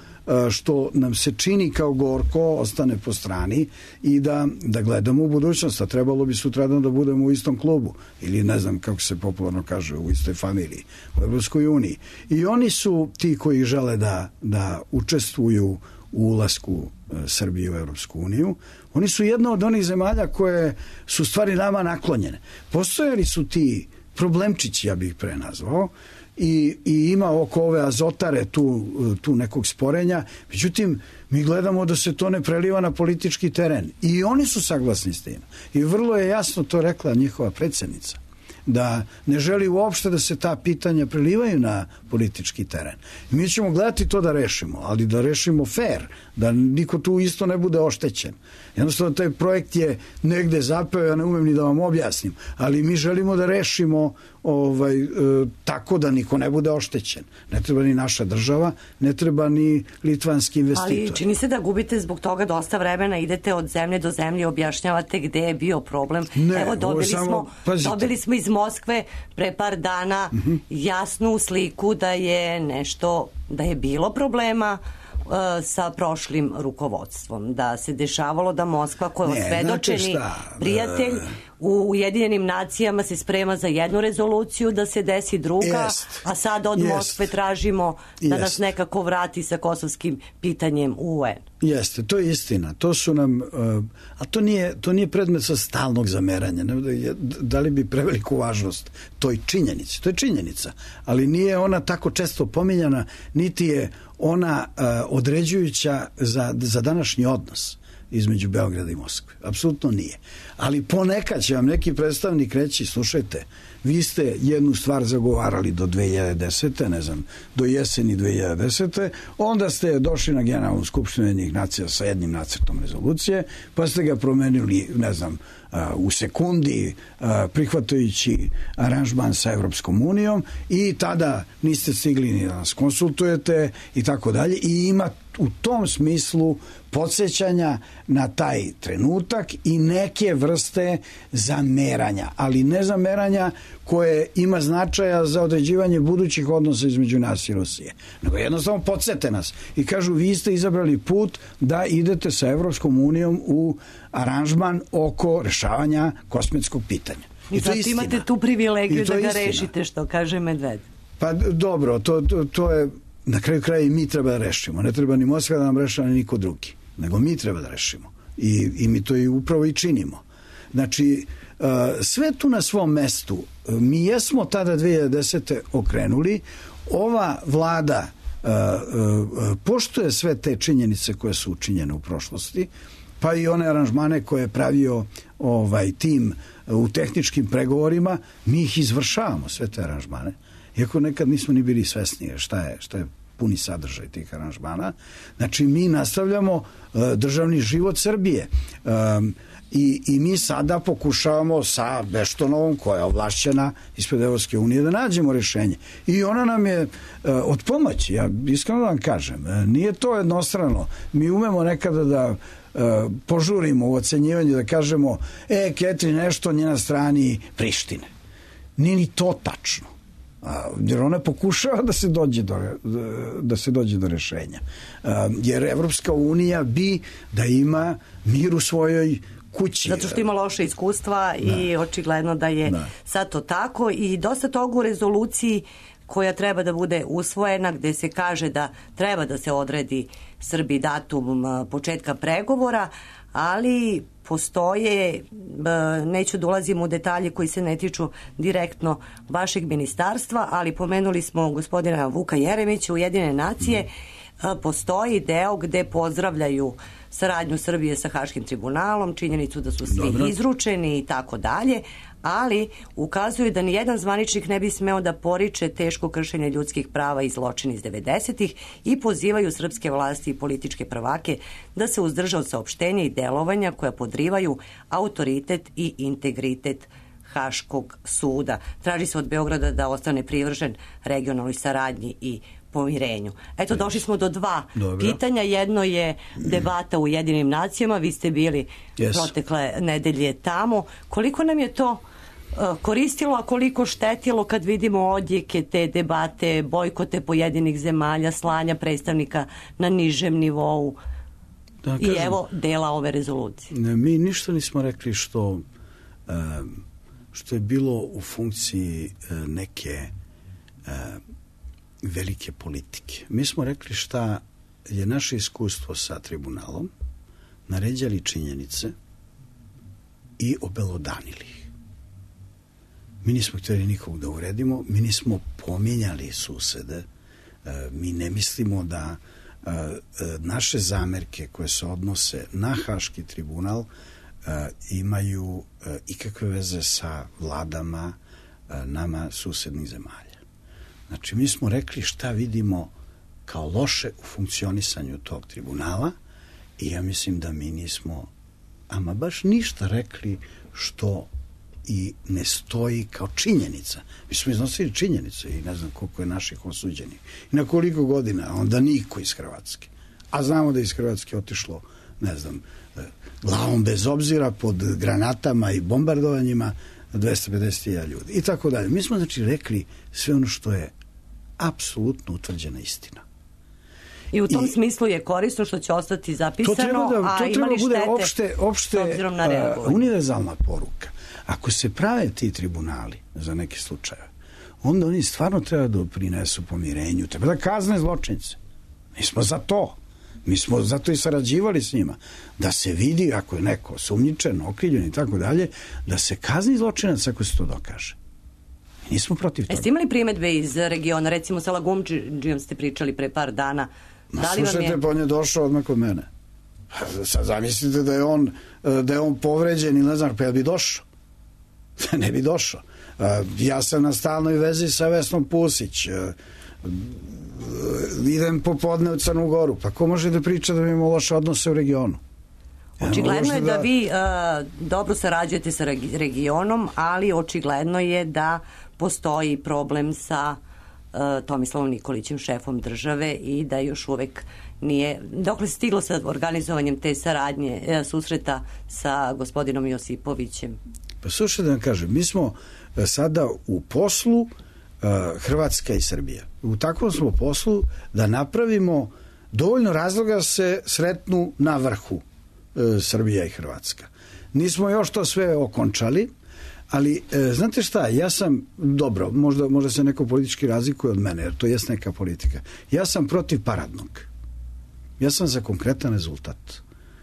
što nam se čini kao gorko ostane po strani i da, da gledamo u budućnost, a trebalo bi sutradan da budemo u istom klubu ili ne znam kako se popularno kaže, u istoj familiji u Evropskoj uniji. I oni su ti koji žele da, da učestvuju u ulasku Srbije u Evropsku uniju. Oni su jedna od onih zemalja koje su stvari nama naklonjene. Postojali su ti problemčići, ja bih ih prenazvao, I, i ima oko ove Azotare tu, tu nekog sporenja, međutim mi gledamo da se to ne preliva na politički teren i oni su saglasni s tim i vrlo je jasno to rekla njihova predsjednica, da ne želi uopšte da se ta pitanja prelivaju na politički teren. Mi ćemo gledati to da rešimo, ali da rešimo fair, da niko tu isto ne bude oštećen. Jednostavno taj projekt je negde zapeo, ja ne umem ni da vam objasnim, ali mi želimo da rešimo ovaj, e, tako da niko ne bude oštećen. Ne treba ni naša država, ne treba ni litvanski investitor. Ali čini se da gubite zbog toga dosta vremena, idete od zemlje do zemlje, objašnjavate gde je bio problem. Ne, Evo, dobili, samo, smo, dobili smo iz Moskve pre par dana uh-huh. jasnu sliku da je nešto, da je bilo problema sa prošlim rukovodstvom, da se dešavalo da Moskva koja je osvedočeni prijatelj u Ujedinjenim nacijama se sprema za jednu rezoluciju, da se desi druga, jest, a sad od jest, Moskve tražimo da jest. nas nekako vrati sa kosovskim pitanjem u U N. Jeste, to je istina. To su nam, a to nije, to nije predmet sa stalnog zameranja. Da li bi preveliku važnost toj činjenici? To je činjenica, ali nije ona tako često pominjana, niti je ona uh, određujuća za, za današnji odnos između Beograda i Moskve. Apsolutno nije. Ali ponekad će vam neki predstavnik reći, slušajte, vi ste jednu stvar zagovarali do dve hiljade desete, ne znam, do jeseni dve hiljade desete, onda ste došli na Generalnu skupštinu Ujedinjenih nacija sa jednim nacrtom rezolucije, pa ste ga promenili, ne znam, u sekundi, prihvatajući aranžman sa Evropskom unijom i tada niste stigli ni da nas konsultujete i tako dalje i ima u tom smislu podsjećanja na taj trenutak i neke vrste zameranja, ali ne zameranja koje ima značaja za određivanje budućih odnosa između nas i Rusije, nego jednostavno podsjete nas i kažu vi ste izabrali put da idete sa Evropskom unijom u aranžman oko rešavanja kosmetskog pitanja. I, I zato imate tu privilegiju da ga istina. rešite, što kaže Medved. Pa dobro, to, to, to je na kraju kraja i mi treba da rešimo. Ne treba ni Moskva da nam rešava, ni niko drugi. Nego mi treba da rešimo. I, i mi to i upravo i činimo. Znači, sve tu na svom mestu. Mi jesmo tada dve hiljade desete. okrenuli. Ova vlada poštuje sve te činjenice koje su učinjene u prošlosti, pa i one aranžmane koje je pravio ovaj tim u tehničkim pregovorima, mi ih izvršavamo, sve te aranžmane. Iako nekad nismo ni bili svesni šta je, šta je puni sadržaj tih aranžmana. Znači, mi nastavljamo uh, državni život Srbije. Um, i, I mi sada pokušavamo sa Beštonovom, koja je ovlašćena ispred Evropske unije, da nađemo rješenje. I ona nam je uh, od pomoći. Ja iskreno da vam kažem, uh, nije to jednostrano. Mi umemo nekada da uh, požurimo u ocenjivanju, da kažemo, e, Ketri, nešto nije na strani Prištine. Nije ni to tačno. Jer ona pokušava da se dođe do, da se dođe do rešenja. Jer Evropska unija bi da ima mir u svojoj kući. Zato što ima loše iskustva da. I očigledno da je da. Sad to tako i dosta toga u rezoluciji koja treba da bude usvojena, gde se kaže da treba da se odredi Srbiji datum početka pregovora, ali postoje, neću da ulazim u detalje koji se ne tiču direktno vašeg ministarstva, ali pomenuli smo gospodina Vuka Jeremića, Ujedinjene nacije, postoji deo gde pozdravljaju saradnju Srbije sa Haškim tribunalom, činjenicu da su svi Dobro. izručeni i tako dalje, ali ukazuju da nijedan zvaničnik ne bi smeo da poriče teško kršenje ljudskih prava i zločin iz devedesetih i pozivaju srpske vlasti i političke prvake da se uzdrže od saopštenja i delovanja koja podrivaju autoritet i integritet Haškog suda. Traži se od Beograda da ostane privržen regionalnoj saradnji i pomirenju. Eto, došli smo do dva Dobro. pitanja. Jedno je debata u Ujedinim nacijama. Vi ste bili yes. protekle nedelje tamo. Koliko nam je to uh, koristilo, a koliko štetilo kad vidimo odjeke te debate, bojkote pojedinih zemalja, slanja predstavnika na nižem nivou da, i kažem, evo dela ove rezolucije? Ne, mi ništa nismo rekli što, uh, što je bilo u funkciji uh, neke uh, velike politike. Mi smo rekli šta je naše iskustvo sa tribunalom, naređali činjenice i obelodanili ih. Mi nismo htjeli nikog da uredimo, mi nismo pominjali susede, mi ne mislimo da naše zamerke koje se odnose na Haški tribunal imaju ikakve veze sa vladama nama susednih zemalja. Znači, mi smo rekli šta vidimo kao loše u funkcionisanju tog tribunala i ja mislim da mi nismo ama baš ništa rekli što i ne stoji kao činjenica. Mi smo iznosili činjenice i ne znam koliko je naših osuđenih. I na koliko godina, onda niko iz Hrvatske. A znamo da iz Hrvatske otišlo, ne znam, glavom bez obzira pod granatama i bombardovanjima dvesta pedeset hiljada ljudi i tako dalje. Mi smo znači rekli sve ono što je apsolutno utvrđena istina. I u tom I, smislu je korisno što će ostati zapisano, to treba da, a to ima treba li bude štete opšte, opšte uh, univerzalna poruka. Ako se prave ti tribunali za neke slučaje, onda oni stvarno treba da prinesu pomirenju, treba da kazne zločince. Mi smo za to. Mi smo zato i sarađivali s njima. Da se vidi ako je neko sumnjičen, okrivljen i tako dalje, da se kazni zločinac ako se to dokaže. Mi nismo protiv toga. Jeste imali primedbe iz regiona? Recimo sa Lagumdžijom ste pričali pre par dana. Ma da li vam slušajte, je... pa on je došao odmah kod mene. Sad zamislite da je on, da je on povređen ili ne znam, pa ja bi došao. Ne bi došao. Ja sam na stalnoj vezi sa Vesnom Pusić. Idem popodne u Crnu Goru. Pa ko može da priča da mi imamo loše odnose u regionu? Očigledno je da, da vi uh, dobro sarađujete sa regionom, ali očigledno je da postoji problem sa uh, Tomislavom Nikolićem, šefom države, i da još uvek nije, dokle se stiglo sa organizovanjem te saradnje, uh, susreta sa gospodinom Josipovićem? Pa slušaj da vam kažem, mi smo sada u poslu uh, Hrvatska i Srbija. U takvom smo poslu da napravimo dovoljno razloga da se sretnu na vrhu uh, Srbija i Hrvatska. Nismo još to sve okončali, ali uh, znate šta, ja sam, dobro, možda, možda se neko politički razlikuje od mene, jer to jest neka politika. Ja sam protiv paradnog. Ja sam za konkretan rezultat.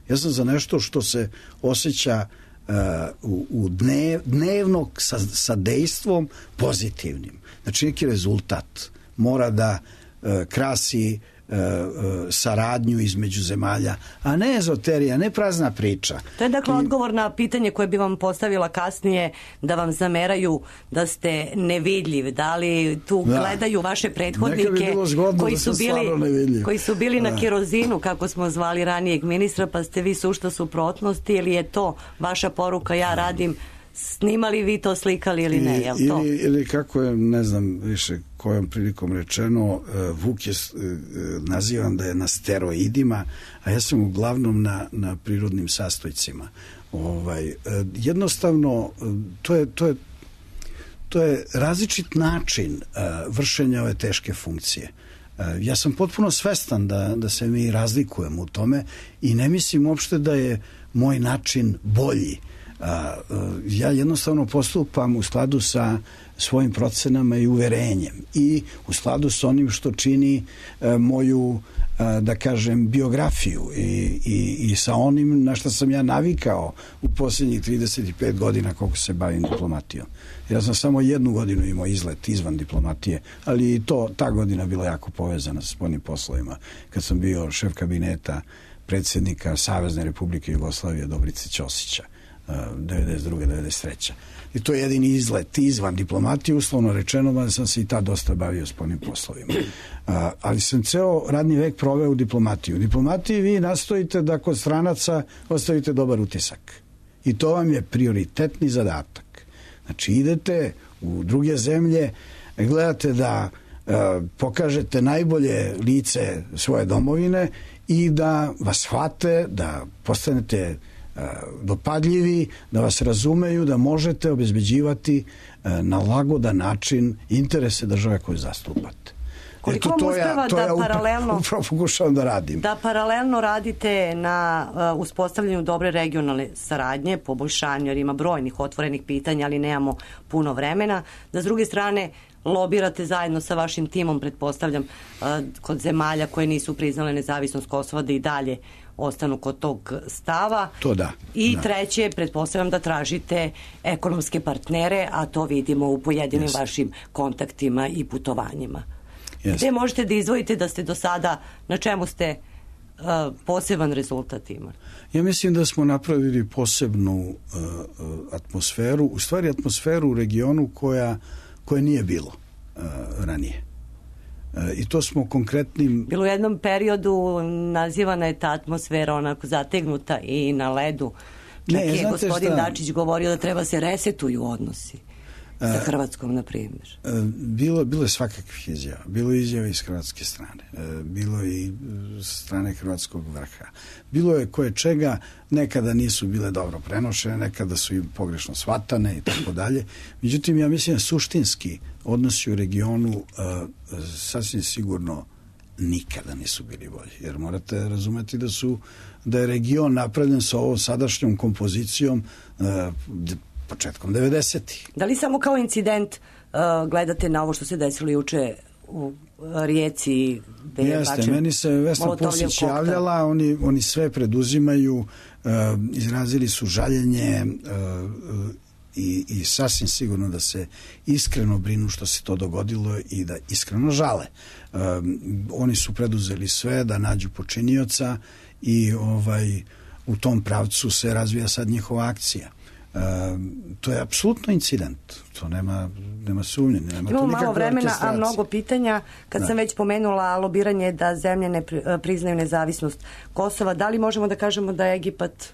Ja sam za nešto što se osjeća uh, u, u dnev, dnevnog sa, sa dejstvom pozitivnim. Znači neki rezultat mora da uh, krasi uh, uh, saradnju između zemalja, a ne ezoterija, ne prazna priča. To je dakle I, odgovor na pitanje koje bi vam postavila kasnije, da vam zameraju da ste nevidljiv. Da li tu da. gledaju vaše prethodnike bi koji, su bili, koji su bili da. na kerozinu, kako smo zvali ranijeg ministra, pa ste vi sušta suprotnosti, ili je to vaša poruka, ja radim, snimali vi to, slikali ili ne, je li to? Ili, ili kako je, ne znam više kojom prilikom rečeno, Vuk je nazivan da je na steroidima, a ja sam uglavnom na, na prirodnim sastojcima. Ovaj, jednostavno, to je, to je, to je različit način vršenja ove teške funkcije. Ja sam potpuno svestan da, da se mi razlikujemo u tome i ne mislim uopšte da je moj način bolji. Ja jednostavno postupam u skladu sa svojim procenama i uverenjem i u skladu sa onim što čini moju, da kažem, biografiju i, i, i sa onim na što sam ja navikao u posljednjih trideset pet godina koliko se bavim diplomatijom. Ja sam samo jednu godinu imao izlet izvan diplomatije, ali i to, ta godina bila jako povezana sa spoljnim poslovima, kad sam bio šef kabineta predsjednika Savezne Republike Jugoslavije Dobrice Ćosića devedeset druge devedeset treće I to je jedini izlet izvan diplomatije, uslovno rečeno, da sam se i tad dosta bavio spoljnim poslovima. A, ali sam ceo radni vek proveo u diplomatiji. U diplomatiji vi nastojite da kod stranaca ostavite dobar utisak. I to vam je prioritetni zadatak. Znači, idete u druge zemlje, gledate da a, pokažete najbolje lice svoje domovine i da vas shvate, da postanete dopadljivi, da vas razumeju, da možete obezbeđivati na lagodan način interese države koje zastupate. Koliko vam uspeva da ja paralelno upravo pokušavam da radim. Da paralelno radite na uh, uspostavljanju dobre regionalne saradnje, poboljšanju, jer ima brojnih otvorenih pitanja, ali nemamo puno vremena. Da s druge strane lobirate zajedno sa vašim timom, pretpostavljam, uh, kod zemalja koje nisu priznale nezavisnost Kosova, da i dalje ostanu kod tog stava. To da. I da. treće, pretpostavljam da tražite ekonomske partnere, a to vidimo u pojedinim yes. vašim kontaktima i putovanjima. Yes. Gde možete da izdvojite da ste do sada, na čemu ste uh, poseban rezultat imali? Ja mislim da smo napravili posebnu uh, uh, atmosferu, u stvari atmosferu u regionu koja, koja nije bilo uh, ranije. I to smo konkretnim... Bilo u jednom periodu nazivana je ta atmosfera onako zategnuta i na ledu. Čak ne, je gospodin šta? Dačić govorio da treba se resetuju odnosi sa Hrvatskom, na primjer. Bilo, bilo je svakakvih izjava. Bilo je izjava iz hrvatske strane. Bilo je i strane hrvatskog vrha. Bilo je koje čega, nekada nisu bile dobro prenošene, nekada su i pogrešno shvatane i tako dalje. Međutim, ja mislim da suštinski odnosi u regionu uh, sasvim sigurno nikada nisu bili bolji. Jer morate razumeti da su da je region napravljen sa ovom sadašnjom kompozicijom uh, početkom devedesetih. Da li samo kao incident uh, gledate na ovo što se desilo juče u Rijeci? Jeste, meni se Vesna Pusić javljala, oni, oni sve preduzimaju, uh, izrazili su žaljenje uh, i, i sasvim sigurno da se iskreno brinu što se to dogodilo i da iskreno žale. Um, oni su preduzeli sve da nađu počinioca i ovaj, u tom pravcu se razvija sad njihova akcija. Um, to je apsolutno incident, to nema, nema sumnje, nema. Imamo malo vremena, a mnogo pitanja. Kad da. sam već pomenula lobiranje da zemlje ne priznaju nezavisnost Kosova, da li možemo da kažemo da Egipat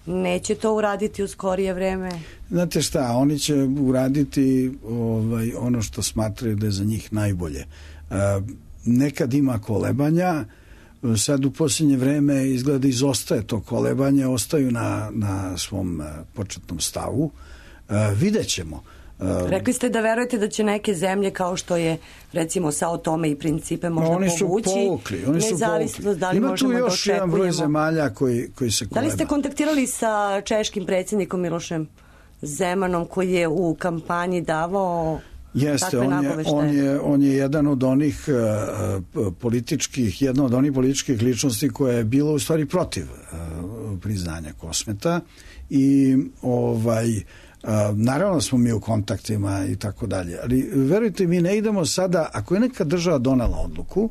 neće to uraditi u skorije vreme? Znate šta, oni će uraditi ovaj, ono što smatraju da je za njih najbolje. Uh, nekad ima kolebanja, sad u posljednje vreme izgleda izostaje to kolebanje, ostaju na, na svom uh, početnom stavu. Uh, vidjet ćemo. Uh, Rekli ste da verujete da će neke zemlje kao što je recimo Sao Tome i Principe možda oni su povući povukli, oni su povukli. Da li ima tu još da jedan broj zemalja koji, koji se koleba. Da li ste kontaktirali sa češkim predsjednikom Milošem Zemanom koji je u kampanji davao Jeste, on je, on, je, on je jedan od onih uh, političkih, jedna od onih političkih ličnosti koja je bila u stvari protiv uh, priznanja Kosmeta i ovaj a, naravno smo mi u kontaktima i tako dalje, ali verujte mi, ne idemo sada, ako je neka država donela odluku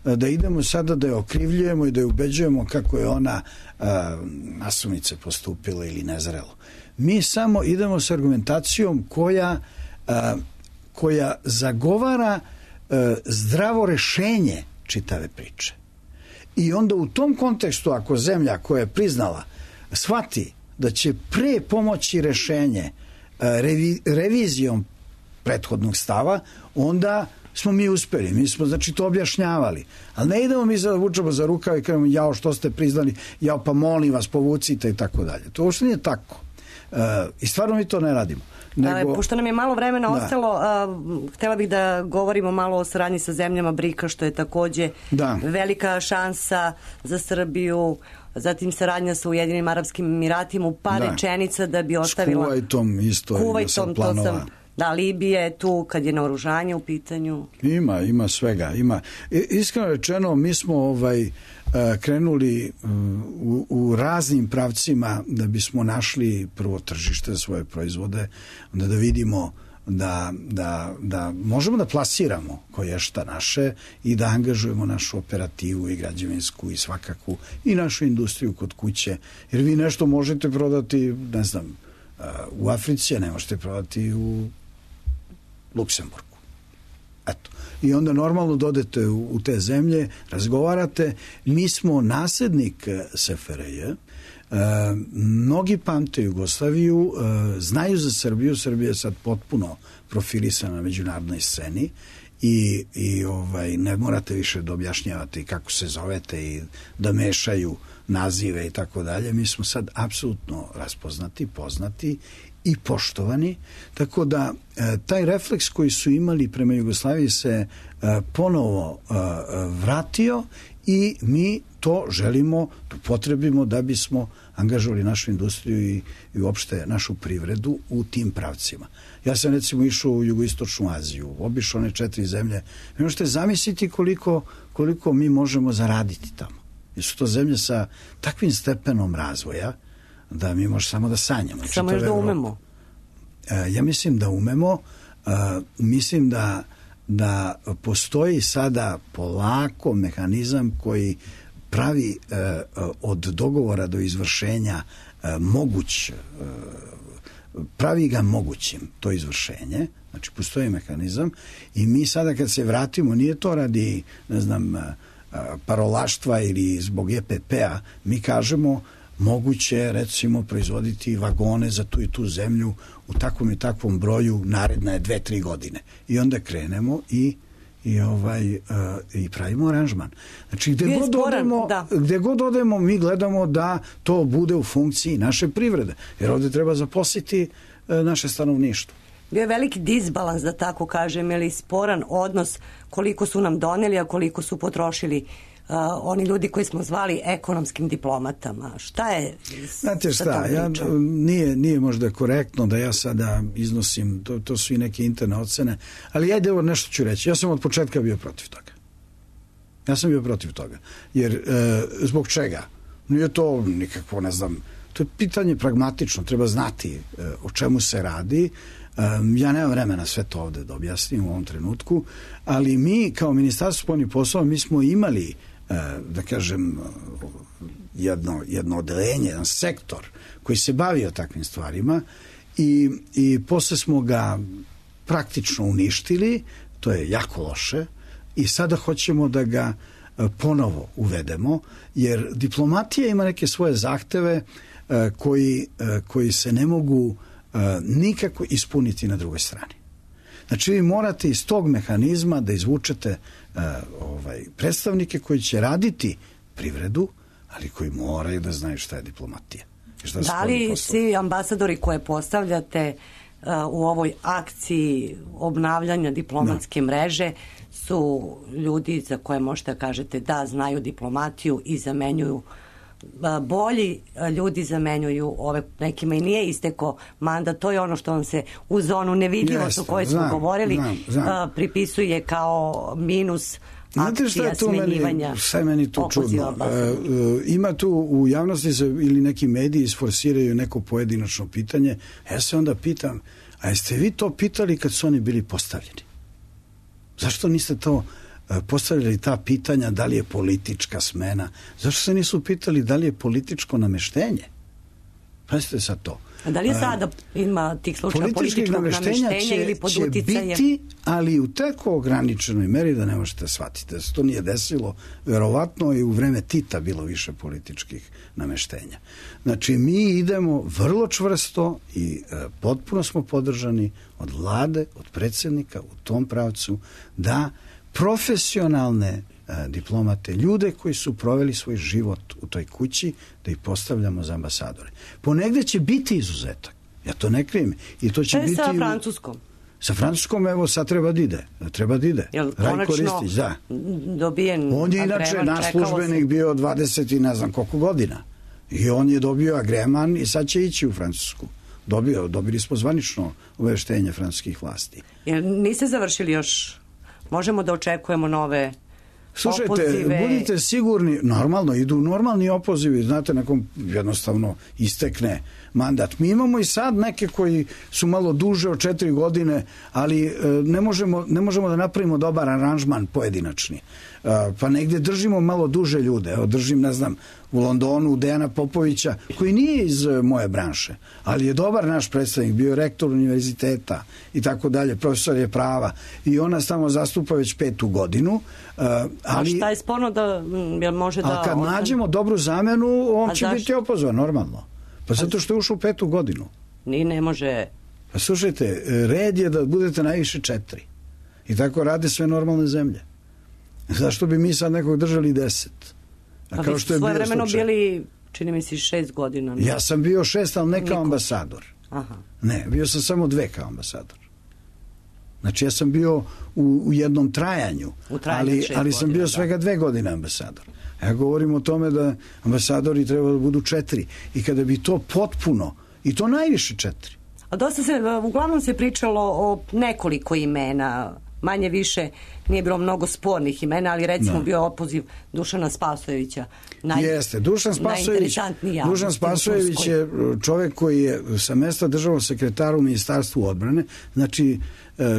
da idemo sada da je okrivljujemo i da je ubeđujemo kako je ona a, nasumice postupila ili nezrelo. Mi samo idemo s argumentacijom koja a, koja zagovara a, zdravo rešenje čitave priče. I onda u tom kontekstu, ako zemlja koja je priznala shvati da će pre pomoći rešenje revi, revizijom prethodnog stava, onda smo mi uspeli. Mi smo, znači, to objašnjavali. Ali ne idemo mi sada vučemo za rukav i kažemo, jao, što ste priznali, jao, pa molim vas, povucite i tako dalje. To uopšte nije tako. I stvarno mi to ne radimo. Nego, pošto nam je malo vremena da. ostalo, uh, htjela bih da govorimo malo o saradnji sa zemljama brika, što je takođe da. velika šansa za Srbiju, zatim saradnja sa Ujedinim Arapskim Emiratima u par da. rečenica da bi ostavila... S Kuvajtom isto Kuvajtom, to sam... Da, Libija je tu kad je naoružanje u pitanju. Ima, ima svega. Ima. Iskreno rečeno, mi smo ovaj, krenuli u, u raznim pravcima da bismo našli prvo tržište za svoje proizvode, onda da vidimo da, da, da možemo da plasiramo koje šta naše i da angažujemo našu operativu i građevinsku i svakakvu i našu industriju kod kuće. Jer vi nešto možete prodati, ne znam, u Africi, a ne možete prodati u Luksemburgu. Eto. I onda normalno dodete u, u te zemlje, razgovarate. Mi smo naslednik S F R J. E, mnogi pamte Jugoslaviju, e, znaju za Srbiju. Srbija je sad potpuno profilisana na međunarodnoj sceni i, i ovaj, ne morate više da objašnjavate kako se zovete i da mešaju nazive i tako dalje. Mi smo sad apsolutno raspoznati, poznati i poštovani, tako da e, taj refleks koji su imali prema Jugoslaviji se e, ponovo e, vratio i mi to želimo, to potrebimo da bismo angažovali našu industriju i, i uopšte našu privredu u tim pravcima. Ja sam recimo išao u jugoistočnu Aziju, obišao one četiri zemlje. Vi možete zamisliti koliko, koliko mi možemo zaraditi tamo. Jer su to zemlje sa takvim stepenom razvoja da mi možemo samo da sanjamo. Samo još da umemo. E, ja mislim da umemo. E, mislim da, da postoji sada polako mehanizam koji pravi e, od dogovora do izvršenja e, moguć, e, pravi ga mogućim to izvršenje. Znači, postoji mehanizam i mi sada kad se vratimo, nije to radi, ne znam, parolaštva ili zbog E P P-a, mi kažemo moguće recimo proizvoditi vagone za tu i tu zemlju u takvom i takvom broju naredne dve, tri godine. I onda krenemo i i ovaj uh, i pravimo aranžman. Znači gde god odemo, da. gde god odemo mi gledamo da to bude u funkciji naše privrede. Jer ovde treba zaposliti uh, naše stanovništvo. Bio je veliki disbalans, da tako kažem, ili sporan odnos koliko su nam doneli, a koliko su potrošili uh, oni ljudi koji smo zvali ekonomskim diplomatama. Šta je? Znate šta, ja, nije, nije možda korektno da ja sada iznosim, to, to su i neke interne ocene, ali ja evo nešto ću reći. Ja sam od početka bio protiv toga. Ja sam bio protiv toga. Jer, e, zbog čega? Nije to nikakvo, ne znam, to je pitanje pragmatično, treba znati e, o čemu se radi. Ja nemam vremena sve to ovde da objasnim u ovom trenutku, ali mi kao Ministarstvo spoljnih poslova mi smo imali, da kažem, jedno, jedno odeljenje, jedan sektor koji se bavio takvim stvarima i, i posle smo ga praktično uništili, to je jako loše i sada hoćemo da ga ponovo uvedemo, jer diplomatija ima neke svoje zahteve koji, koji se ne mogu nikako ispuniti na drugoj strani. Znači vi morate iz tog mehanizma da izvučete uh, ovaj, predstavnike koji će raditi privredu, ali koji moraju da znaju šta je diplomatija. Šta da li svi ambasadori koje postavljate uh, u ovoj akciji obnavljanja diplomatske no. mreže su ljudi za koje možete kažete da znaju diplomatiju i zamenjuju bolji ljudi zamenjuju ove, nekima i nije isteko mandat, to je ono što vam se u zonu nevidljivost o kojoj smo govorili znam, znam. pripisuje kao minus, Znate šta je tu meni, šta je meni tu čudno? E, e, ima tu u javnosti se, ili neki mediji isforsiraju neko pojedinačno pitanje, ja se onda pitam, a jeste vi to pitali kad su oni bili postavljeni? Zašto niste to e, postavljali ta pitanja, da li je politička smena? Zašto se nisu pitali da li je političko nameštenje? Pazite sad to. A da li je sada ima tih slučaja političkog nameštenja će, ili pod će uticajem? Biti, ali u tako ograničenoj meri da ne možete shvatiti da se to nije desilo. Verovatno i u vreme Tita bilo više političkih nameštenja. Znači, mi idemo vrlo čvrsto i e, potpuno smo podržani od vlade, od predsjednika u tom pravcu da profesionalne diplomate, ljude koji su proveli svoj život u toj kući, da ih postavljamo za ambasadore. Ponegde će biti izuzetak. Ja to ne krijem. I to će šta je biti sa Francuskom? Sa Francuskom, evo, sad treba da ide. Treba da ide. Jel Rajko Ristić, da. Dobijen on je inače naš službenik bio dvadeset i ne znam koliko godina. I on je dobio agreman i sad će ići u Francusku. Dobio, dobili smo zvanično obaveštenje francuskih vlasti. Jel niste završili još? Možemo da očekujemo nove Slušajte, opozive. Budite sigurni, normalno, idu normalni opozivi, znate, nekom jednostavno istekne mandat. Mi imamo i sad neke koji su malo duže od četiri godine, ali e, ne, možemo, ne možemo da napravimo dobar aranžman pojedinačni. E, pa negdje držimo malo duže ljude. Evo, držim, ne znam, u Londonu Dejana Popovića, koji nije iz moje branše, ali je dobar naš predstavnik, bio rektor univerziteta i tako dalje, profesor je prava i ona tamo zastupa već petu godinu. Uh, ali, a šta je sporno da jel može da... A kad osam... nađemo dobru zamenu, on a će zašto? Biti opozvan, normalno. Pa zato što je ušao u petu godinu. Ni ne može... Pa slušajte, red je da budete najviše četiri. I tako rade sve normalne zemlje. Zašto bi mi sad nekog držali deset? A pa kao što je svoje vremeno bili, čini mi se, šest godina. Ne? Ja sam bio šest, ali ne kao Niko. ambasador. Aha. Ne, bio sam samo dve kao ambasador. Znači, ja sam bio u, u jednom trajanju, u trajanju ali, ali sam bio svega dve godine ambasador. Ja govorim o tome da ambasadori treba da budu četiri. I kada bi to potpuno, i to najviše četiri. A dosta se, uglavnom se pričalo o nekoliko imena, manje više nije bilo mnogo spornih imena, ali recimo no. bio opoziv Dušana Spasojevića. Naj, Jeste, Dušan Spasojević, Dušan Spasojević je čovjek koji je sa mesta državnog sekretara u Ministarstvu odbrane, znači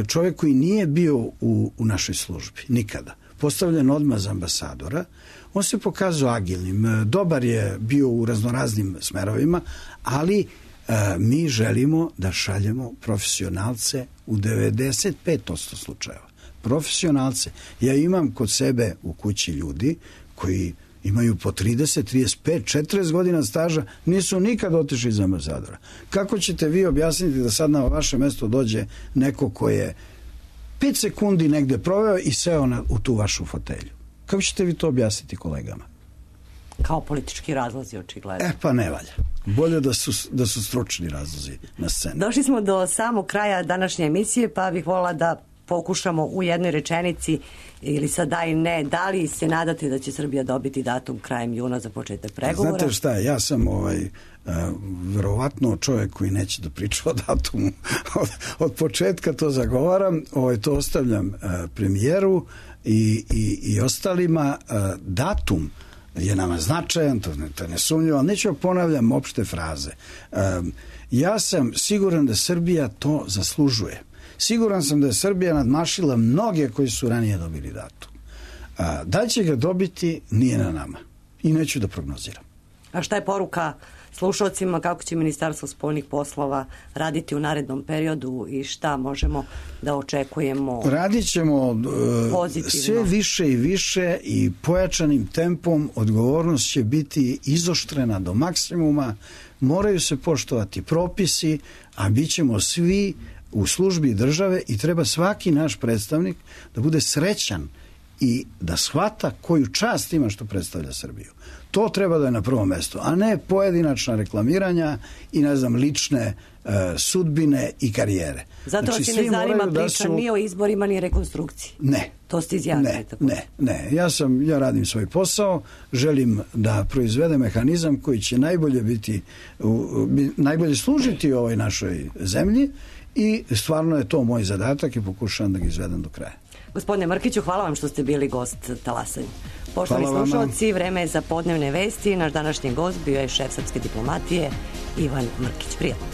čovjek koji nije bio u, u našoj službi, nikada. Postavljen odmah za ambasadora, on se pokazao agilnim, dobar je bio u raznoraznim smerovima, ali mi želimo da šaljemo profesionalce u devedeset pet posto slučajeva. Profesionalce. Ja imam kod sebe u kući ljudi koji imaju po trideset, trideset pet, četrdeset godina staža, nisu nikad otišli za ambasadora. Kako ćete vi objasniti da sad na vaše mesto dođe neko ko je pet sekundi negde proveo i seo na, u tu vašu fotelju? Kako ćete vi to objasniti kolegama? Kao politički razlozi, očigledno. E pa ne valja. Bolje da su, da su stručni razlozi na sceni. Došli smo do samog kraja današnje emisije, pa bih volila da pokušamo u jednoj rečenici ili sad da i ne, da li se nadate da će Srbija dobiti datum krajem juna za početak pregovora? Znate šta, ja sam ovaj, uh, verovatno čovjek koji neće da priča o datumu. od, od početka to zagovaram, ovaj, to ostavljam uh, premijeru i, i, i ostalima. Uh, datum je nama značajan, to ne, to ne sumnjivo, ali neću ponavljam opšte fraze. Um, ja sam siguran da Srbija to zaslužuje. Siguran sam da je Srbija nadmašila mnoge koji su ranije dobili datum. A, da će ga dobiti, nije na nama. I neću da prognoziram. A šta je poruka slušalcima, kako će Ministarstvo spoljnih poslova raditi u narednom periodu i šta možemo da očekujemo? Radit ćemo uh, sve više i više i pojačanim tempom. Odgovornost će biti izoštrena do maksimuma. Moraju se poštovati propisi, a bit ćemo svi u službi države i treba svaki naš predstavnik da bude srećan i da shvata koju čast ima što predstavlja Srbiju. To treba da je na prvom mjestu, a ne pojedinačna reklamiranja i, ne znam, lične uh, sudbine i karijere. Zato znači, vas i ne zanima priča su... ni o izborima, ni rekonstrukciji. Ne. To ste izjavili. Ne, ne, ne. Ja, sam, ja radim svoj posao, želim da proizvede mehanizam koji će najbolje biti, uh, najbolje služiti ovoj našoj zemlji i stvarno je to moj zadatak i pokušavam da ga izvedem do kraja. Gospodine Mrkiću, hvala vam što ste bili gost Talasanja. Poštovani slušalci, vreme je za podnevne vesti. Naš današnji gost bio je šef srpske diplomatije Ivan Mrkić. Prijatno.